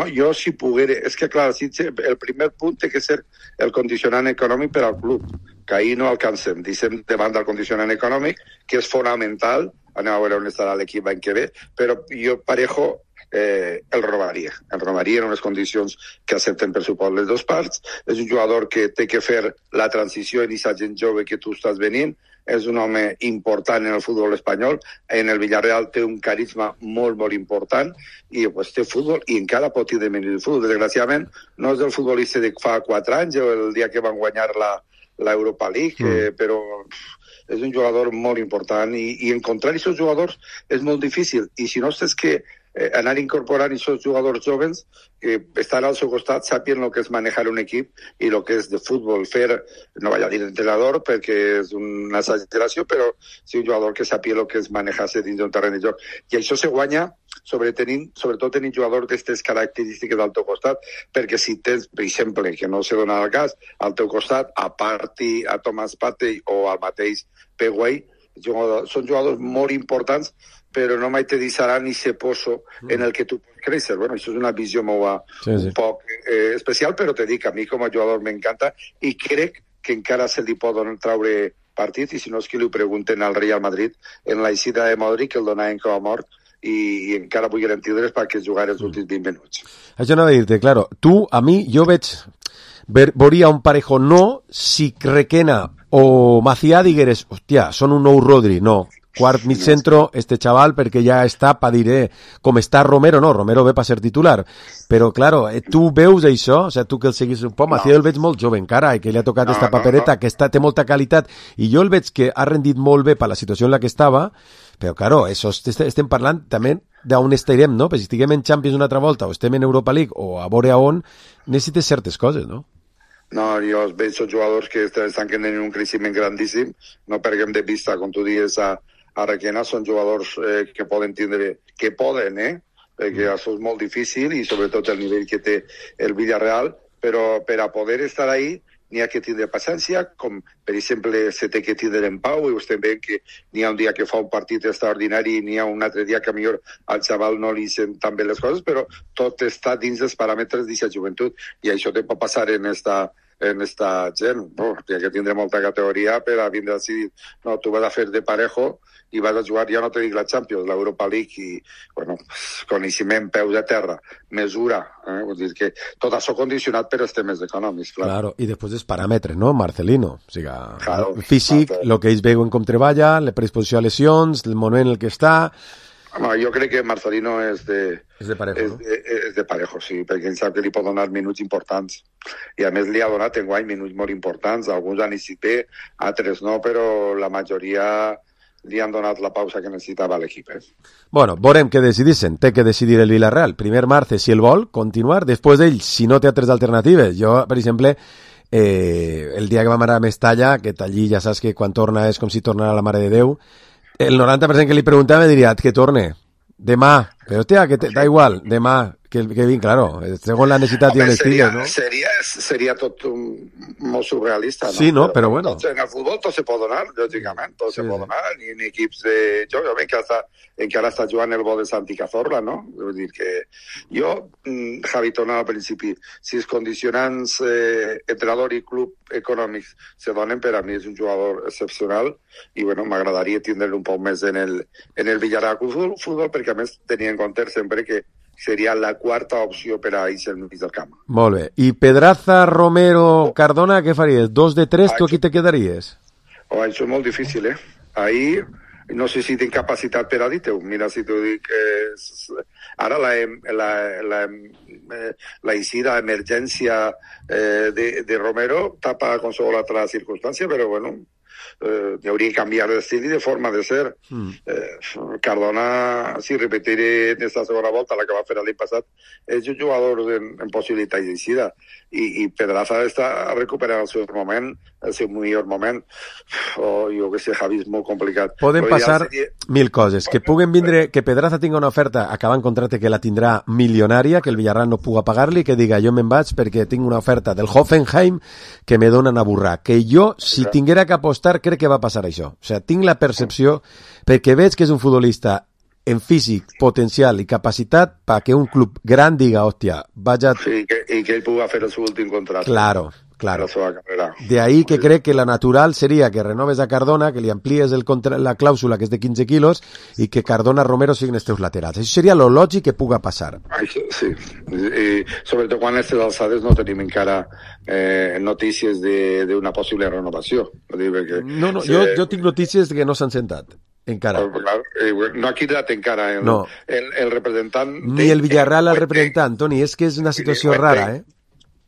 Jo si poguera... És que, clar, el primer punt té que ser el condicionant econòmic per al club, que ahir no alcancem. Deixem de banda el condicionant econòmic, que és fonamental, anem a veure on estarà l'equip l'any que ve, però jo Parejo el robaria en unes condicions que accepten per suport les dues parts. És un jugador que té que fer la transició en aquesta gent jove que tu estàs venint, és un home important en el futbol espanyol, en el Villarreal té un carisma molt, molt important, i pues, té futbol i encara pot tenir menys de futbol. Desgraciadament, no és el futbolista de fa 4 anys, o el dia que van guanyar l'Europa League, però és un jugador molt important, i encontrar aquests jugadors és molt difícil, i si no és que anar incorporant aquests jugadors joves que estan al seu costat, sàpien el que és manejar un equip i el que és de futbol, fer, no vaig a dir entrenador perquè és una exageració, però sí un jugador que sàpia el que és manejar-se dins d'un terreny de joc. I això se guanya sobretot tenint jugadors d'aquestes característiques al teu costat, perquè si tens, per exemple, que no se dona el cas, al teu costat, a Partey, a Thomas Partey o al mateix Peguay, són jugadors molt importants, però no mai te deixaran ni se poso en el que tu pots créixer. Bueno, això és una visió meva un poc especial, però te dic, a mi com a jugador m'encanta i crec que encara se li poden traure partit, i si no és que li ho pregunten al Real Madrid en la eixida de Modric, que el donaven com a mort, i encara vull garantir-les perquè jugar els últims 20 minuts. Això no va dir-te, claro, tu, a mi, jo veuria un Parejo no si Requena o Macià digueres, hòstia, són un nou Rodri, no. Quart mig centro, este chaval, perquè ja està per dir, com està Romero, no, Romero ve per ser titular, però, claro, tu veus això, o sigui, tu que el seguis un poc, Macià el veig molt jove encara, i que li ha tocat esta papereta, que té molta qualitat, i jo el veig que ha rendit molt bé per la situació en la que estava, però, claro, això estem parlant també d'on estarem, no? Perquè si estiguem en Champions una altra volta, o estem en Europa League, o a veure on, necessites certes coses, no? No, jo veig jugadors que estan tenint un creixement grandíssim, no perdem de vista, com tu dius, a Requena, són jugadors que poden tindre, perquè això és molt difícil, i sobretot el nivell que té el Villarreal, però per a poder estar ahí n'hi ha que tindre paciència, com per exemple se té que tindre en pau, i estem veient que n'hi ha un dia que fa un partit extraordinari i n'hi ha un altre dia que millor al xaval no li sent tan bé les coses, però tot està dins dels paràmetres d'aquesta joventut, i això te pot passar en esta gent, no? Hi ha que tindre molta categoria per a vindre a decidir, no, tu vas a fer de Parejo i vas a jugar, ja no te dic la Champions, l'Europa League, i, bueno, coneixement, peus a terra, mesura, vull dir que tot això condicionat per els temes econòmics, clar. Claro, i després els paràmetres, no, Marcelino? O sigui, claro, físic, el que ells veuen com treballa, la predisposició a lesions, el moment en el que està... No, jo crec que Marcelino és de Parejo, no? És de Parejo, sí, perquè ell sap que li pot donar minuts importants. I a més li ha donat enguany minuts molt importants, alguns han eixit bé, altres no, però la majoria li han donat la pausa que necessitava l'equip. Bueno, veurem què decidissin. Té que decidir el Villarreal. Primer Marce, si el vol, continuar. Després d'ell, si no té altres alternatives. Jo, per exemple, el dia que vam anar a Mestalla, que allí ja saps que quan torna és com si tornara la Mare de Déu, el 90% que li preguntava diria que torne demà, però hòstia, que da igual, demà, que vinc, claro, segons la necessitat i on estigues, no? Seria tot molt surrealista, no? Sí, no, però bueno. En el futbol tot se pot donar, lògicament, tot se pot donar, i en equips de... Jo veig que encara està jugant el bo de Santi Cazorla, no? Vull dir que jo, Javi, tornava al principi, si els condicionants entrenador i club econòmics se donen, per a mi és un jugador excepcional, i bueno, m'agradaria tindre-lo un poc més en el Villarreal Futbol, perquè a més tenia en compte sempre que seria la quarta opció per a ells al mig del camp. Molt bé. I Pedraza, Romero, Cardona, què faries? 2 de 3, tu aquí te quedaries? Això és molt difícil, Ahí no sé si tinc capacitat per a dir-te-ho. Mira, si t'ho dic... Ara la eixida, emergència de Romero tapa qualsevol altra circumstància, però bueno... hauria que canviar d'estil i de forma de ser. Cardona, si repetiré en esta segona volta, la que va fer l'any passat, és un jugador en possibilitat d'eixida, i Pedraza està recuperant el seu moment, el seu millor moment, o jo que sé, Javi, és molt complicat. Poden passar 1000 coses, que puguen vindre, que Pedraza tingui una oferta acabant contracte que la tindrà milionària, que el Villarreal no puga pagar-li, que diga jo me'n vaig perquè tinc una oferta del Hoffenheim que me donen a burrar, que jo, si tinguera que apostar, tard crec que va passar això. O sigui, tinc la percepció, perquè veig que és un futbolista en físic, potencial i capacitat perquè un club gran diga, hòstia, vaja... Sí, i que ell pugui fer el seu últim contracte. Claro. La seva carrera. De ahí que crec que la natural seria que renoves a Cardona, que li amplies la clàusula, que és de 15 quilos, i que Cardona Romero siguin els teus laterals. Això seria lo lògic que puga passar. Sí. I sobretot quan a aquestes alçades no tenim encara notícies d'una possible renovació. No, jo tinc notícies que no s'han sentat. Encara. No ha quedat encara el representant... Ni el Villarreal al representant, Toni, és que és una situació rara, eh?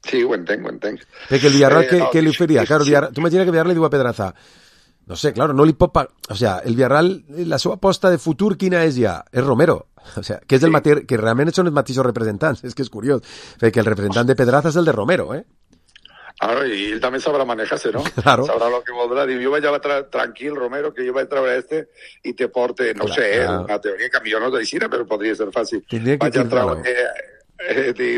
Sí, ho entenc. Perquè el Villarreal, què li oferia? Claro, tu imagina que el Villarreal li diu a Pedraza, no sé, claro, no li pot pagar... O sea, el Villarreal, la seva aposta de futur, quina és ja? És Romero. O sea, que és el que realment són els mateixos representants. És que és curiós. Perquè el representant de Pedraza és el de Romero, eh? Claro, y él también sabrá manejarse, ¿no? Claro. Sabrá lo que voldrà. Diu, jo vaig tranquil, Romero, que jo vaig treure i te porte, no sé, una teoria que a mi jo no t'aixina, però podria ser fàcil. Vaig a treure...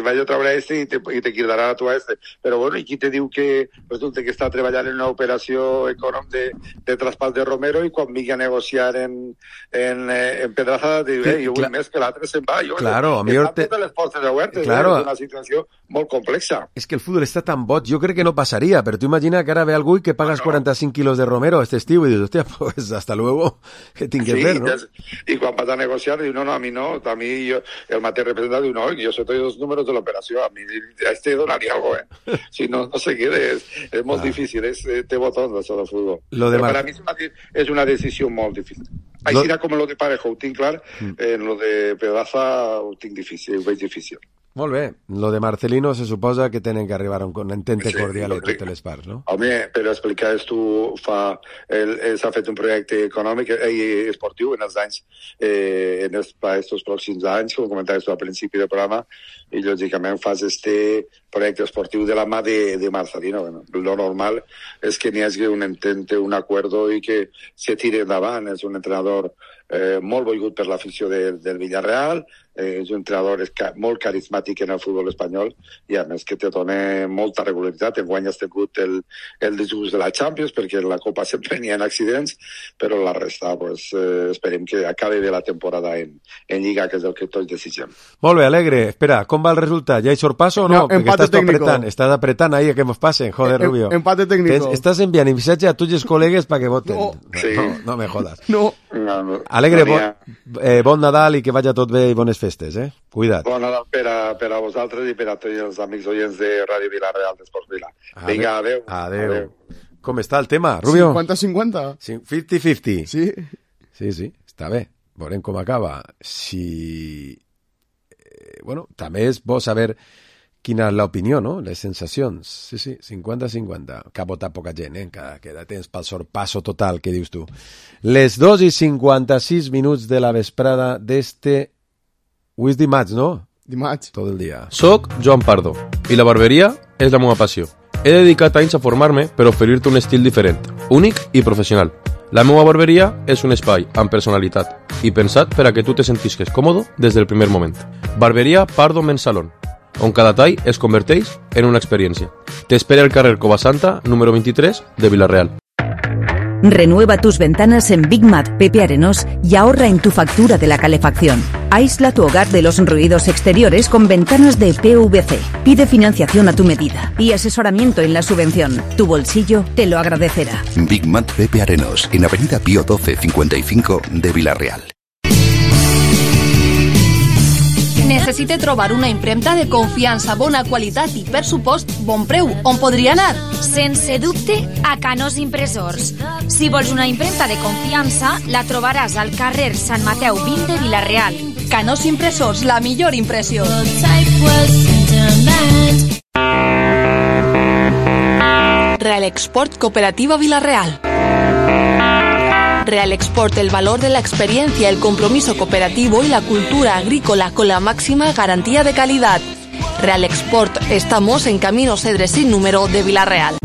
vaig a treure i te cridarà a tu a però bueno, i qui te diu que resulta que està treballant en una operació econòmica de traspàs de Romero i quan vingui a negociar en Pedraza diu, jo vull més que l'altre se'n va. Claro, a mi totes les portes obertes, és una situació molt complexa. És que el futbol està tan boig, jo crec que no passaria, però tu imagina que ara ve algú i que pagas 45 kilos de Romero este estiu i dius, hòstia, pues hasta luego, què tinc que fer, no? I quan vas a negociar diu, no, a mi no, a mi el mateix representant diu, no, jo sé tots els números de l'operació, a mi a donaria algo, si no se quede, és molt difícil, té botons això del futbol. Però per a mi és una decisió molt difícil. Així com lo de Parejo ho tinc clar, en lo de Pedraza ho tinc difícil, ho veig difícil. Molt bé. Lo de Marcelino se suposa que tenen que arribar a un entente cordial entre totes les parts, no? Home, per explicar esto, s'ha fet un projecte econòmic i esportiu en els anys, en estos pròxims anys, com comentaves al principi del programa, i lògicament fas este projecte esportiu de la mà de Marcelino. Lo normal és que n'hi hagi un entente, un acuerdo i que se tire endavant. És un entrenador molt volgut per l'afició del Villarreal, és un entrenador molt carismàtic en el futbol espanyol i a més que te dona molta regularitat. Enguany has tingut el desgust de la Champions perquè en la Copa sempre n'hi ha accidents, però la resta esperem que acabi bé la temporada en Lliga, que és el que tots desitgem. Molt bé, Alegre. Espera, com va el resultat? Ja hi sorpasso o no? Empate técnico. Estás apretando ahí a que nos pasen, joder, Rubio. Empate técnico. Estás enviando mensaje a tus colegas para que voten. No me jodas. No. Alegre, bon Nadal i que vagi tot bé i bones festes, eh? Cuida't. Bon Nadal per a vosaltres i per a tots els amics oients de Ràdio Vilareal d'Esports Vila. Vinga, adeu. Com està el tema, Rubio? 50-50. 50-50. Sí. Sí, està bé. Veurem com acaba. Bueno, també és bo saber quina és l'opinió, no? Les sensacions. Sí, 50-50. Que ha votat poca gent, queda temps pel sorpasso total, que dius tu. Les 2:56 de la vesprada d'este... Avui és dimarts, no? Dimarts. Tot el dia. Soc Joan Pardo, i la barberia és la meva passió. He dedicat anys a formar-me per oferir-te un estil diferent, únic i professional. La meva barberia és un espai amb personalitat i pensat per a que tu te sentisques còmode des del primer moment. Barberia Pardo Men's Salon, on cada tall es converteix en una experiència. T'espera al carrer Covasanta, número 23, de Vilareal. Renueva tus ventanas en Big Mat Pepe Arenós y ahorra en tu factura de la calefacción. Aísla tu hogar de los ruidos exteriores con ventanas de PVC. Pide financiación a tu medida y asesoramiento en la subvención. Tu bolsillo te lo agradecerá. Big Mat Pepe Arenós, en Avenida Pío 12 55 de Vilareal. Necessite trobar una impremta de confiança, bona qualitat i, per supost, bon preu. On podria anar? Sense dubte, a Canós Impressors. Si vols una impremta de confiança, la trobaràs al carrer Sant Mateu 20 de Vilareal. Canós Impressors, la millor impressió. Real Export Cooperativa Vilareal. Real Export, el valor de la experiencia, el compromiso cooperativo y la cultura agrícola con la máxima garantía de calidad. Real Export, estamos en Camino Cedres sin número de Vilareal.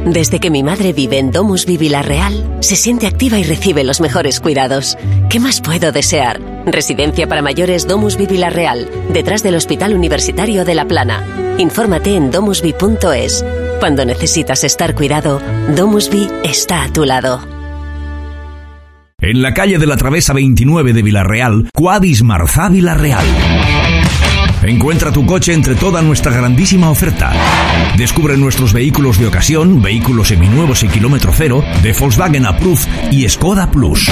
Desde que mi madre vive en Domusvi Vilareal, se siente activa y recibe los mejores cuidados. ¿Qué más puedo desear? Residencia para mayores Domusvi Vilareal, detrás del Hospital Universitario de La Plana. Infórmate en domusvi.es. Cuando necesitas estar cuidado, DomusVi está a tu lado. En la calle de la Travesa 29 de Villarreal, Quadis Marzá Villarreal. Encuentra tu coche entre toda nuestra grandísima oferta. Descubre nuestros vehículos de ocasión, vehículos seminuevos y kilómetro cero, de Volkswagen Approved y Skoda Plus.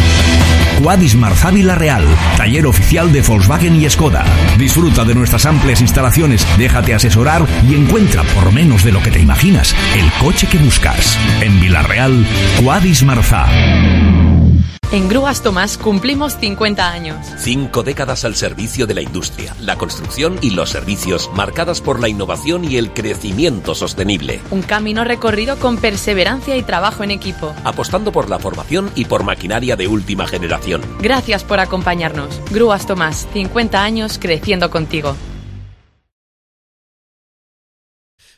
Quadis Marzá Villarreal, taller oficial de Volkswagen y Skoda. Disfruta de nuestras amplias instalaciones, déjate asesorar y encuentra, por menos de lo que te imaginas, el coche que buscas. En Villarreal, Quadis Marzá. En Grúas Tomás cumplimos 50 años. 5 décadas al servicio de la industria, la construcción y los servicios, marcadas por la innovación y el crecimiento sostenible. Un camino recorrido con perseverancia y trabajo en equipo. Apostando por la formación y por maquinaria de última generación. Gracias por acompañarnos. Grúas Tomás, 50 años creciendo contigo.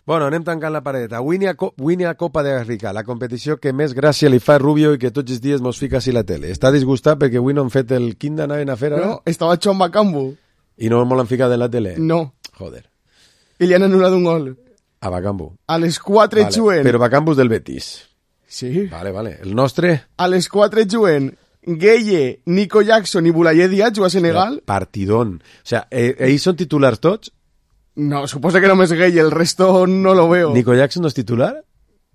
Bueno, anem tancant la paradeta. Avui n'hi ha Copa d'Àfrica, la competició que més gràcia li fa a Rubio i que tots els dies mos fica a la tele. Està disgustat perquè avui no han fet el quin d'anaven a fer ara? No, estava Chon Bakambu. I no m'ho l'han ficat en la tele? No. Joder. I li han anul·lat un gol. A Bakambu. A les 4 vale, juguen. Però Bakambu és del Betis. Sí. Vale. El nostre? A les 4 juguen Gueye, Nico Jackson i Boulaye Díaz, juga a Senegal. Partidón. O sea, ells són titulars tots? No, suposo que només Gueye, el resto no lo veo. ¿Nico Jackson no es titular?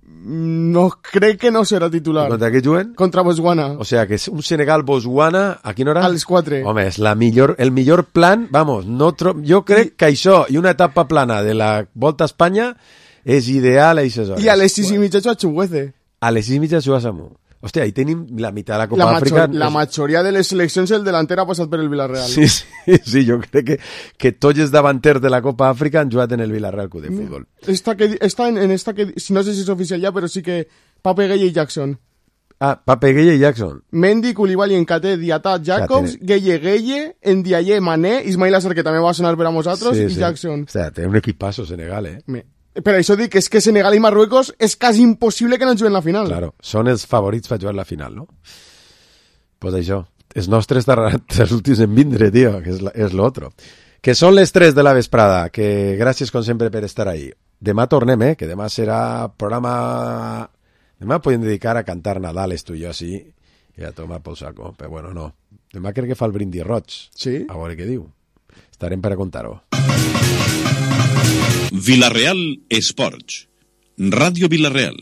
No, crec que no serà titular. ¿Contra què juguen? Contra Botswana. O sea, que és un Senegal-Botswana, a quina hora? A les 4. Home, és el millor plan, vamos, jo crec que això i una etapa plana de la Volta a Espanya és ideal a aquestes hores. I a les 6:30 juga Chukwueze. A les 6:30 juga Samu. Hòstia, ahí tenim la meitat de la Copa d'Àfrica. La majoria de les seleccions el delanter ha passat per el Villarreal. Sí, jo crec que tots els davanters de la Copa d'Àfrica han jugat en el Villarreal Club de Futbol. Està en esta que, no sé si és oficial ja, però sí que Pape Gueye i Jackson. Ah, Pape Gueye i Jackson. Mendy, Koulibaly, Nkate, Diatta, Jacobs, Gueye, Ndiaye, Mané, Ismail Assar, que també va sonar per a nosaltres, i Jackson. O sea, té un equipazo Senegal, Per això dic que és que Senegal i Marruecos és quasi impossible que no juguen la final. Claro, són els favorits per jugar la final, no? Pues això, els nostres tardaran els últims en vindre, tio, que és l'altre. Que són les 3 de la vesprada, que gràcies com sempre per estar ahí. Demà tornem, que demà serà programa... Demà podem dedicar a cantar Nadales, tu i jo, sí, i a tomar pel saco, però bueno, no. Demà crec que fa el brindis roig. Sí? A veure què diu. Estarem per a contar-ho. Villarreal Esports. Ràdio Villarreal.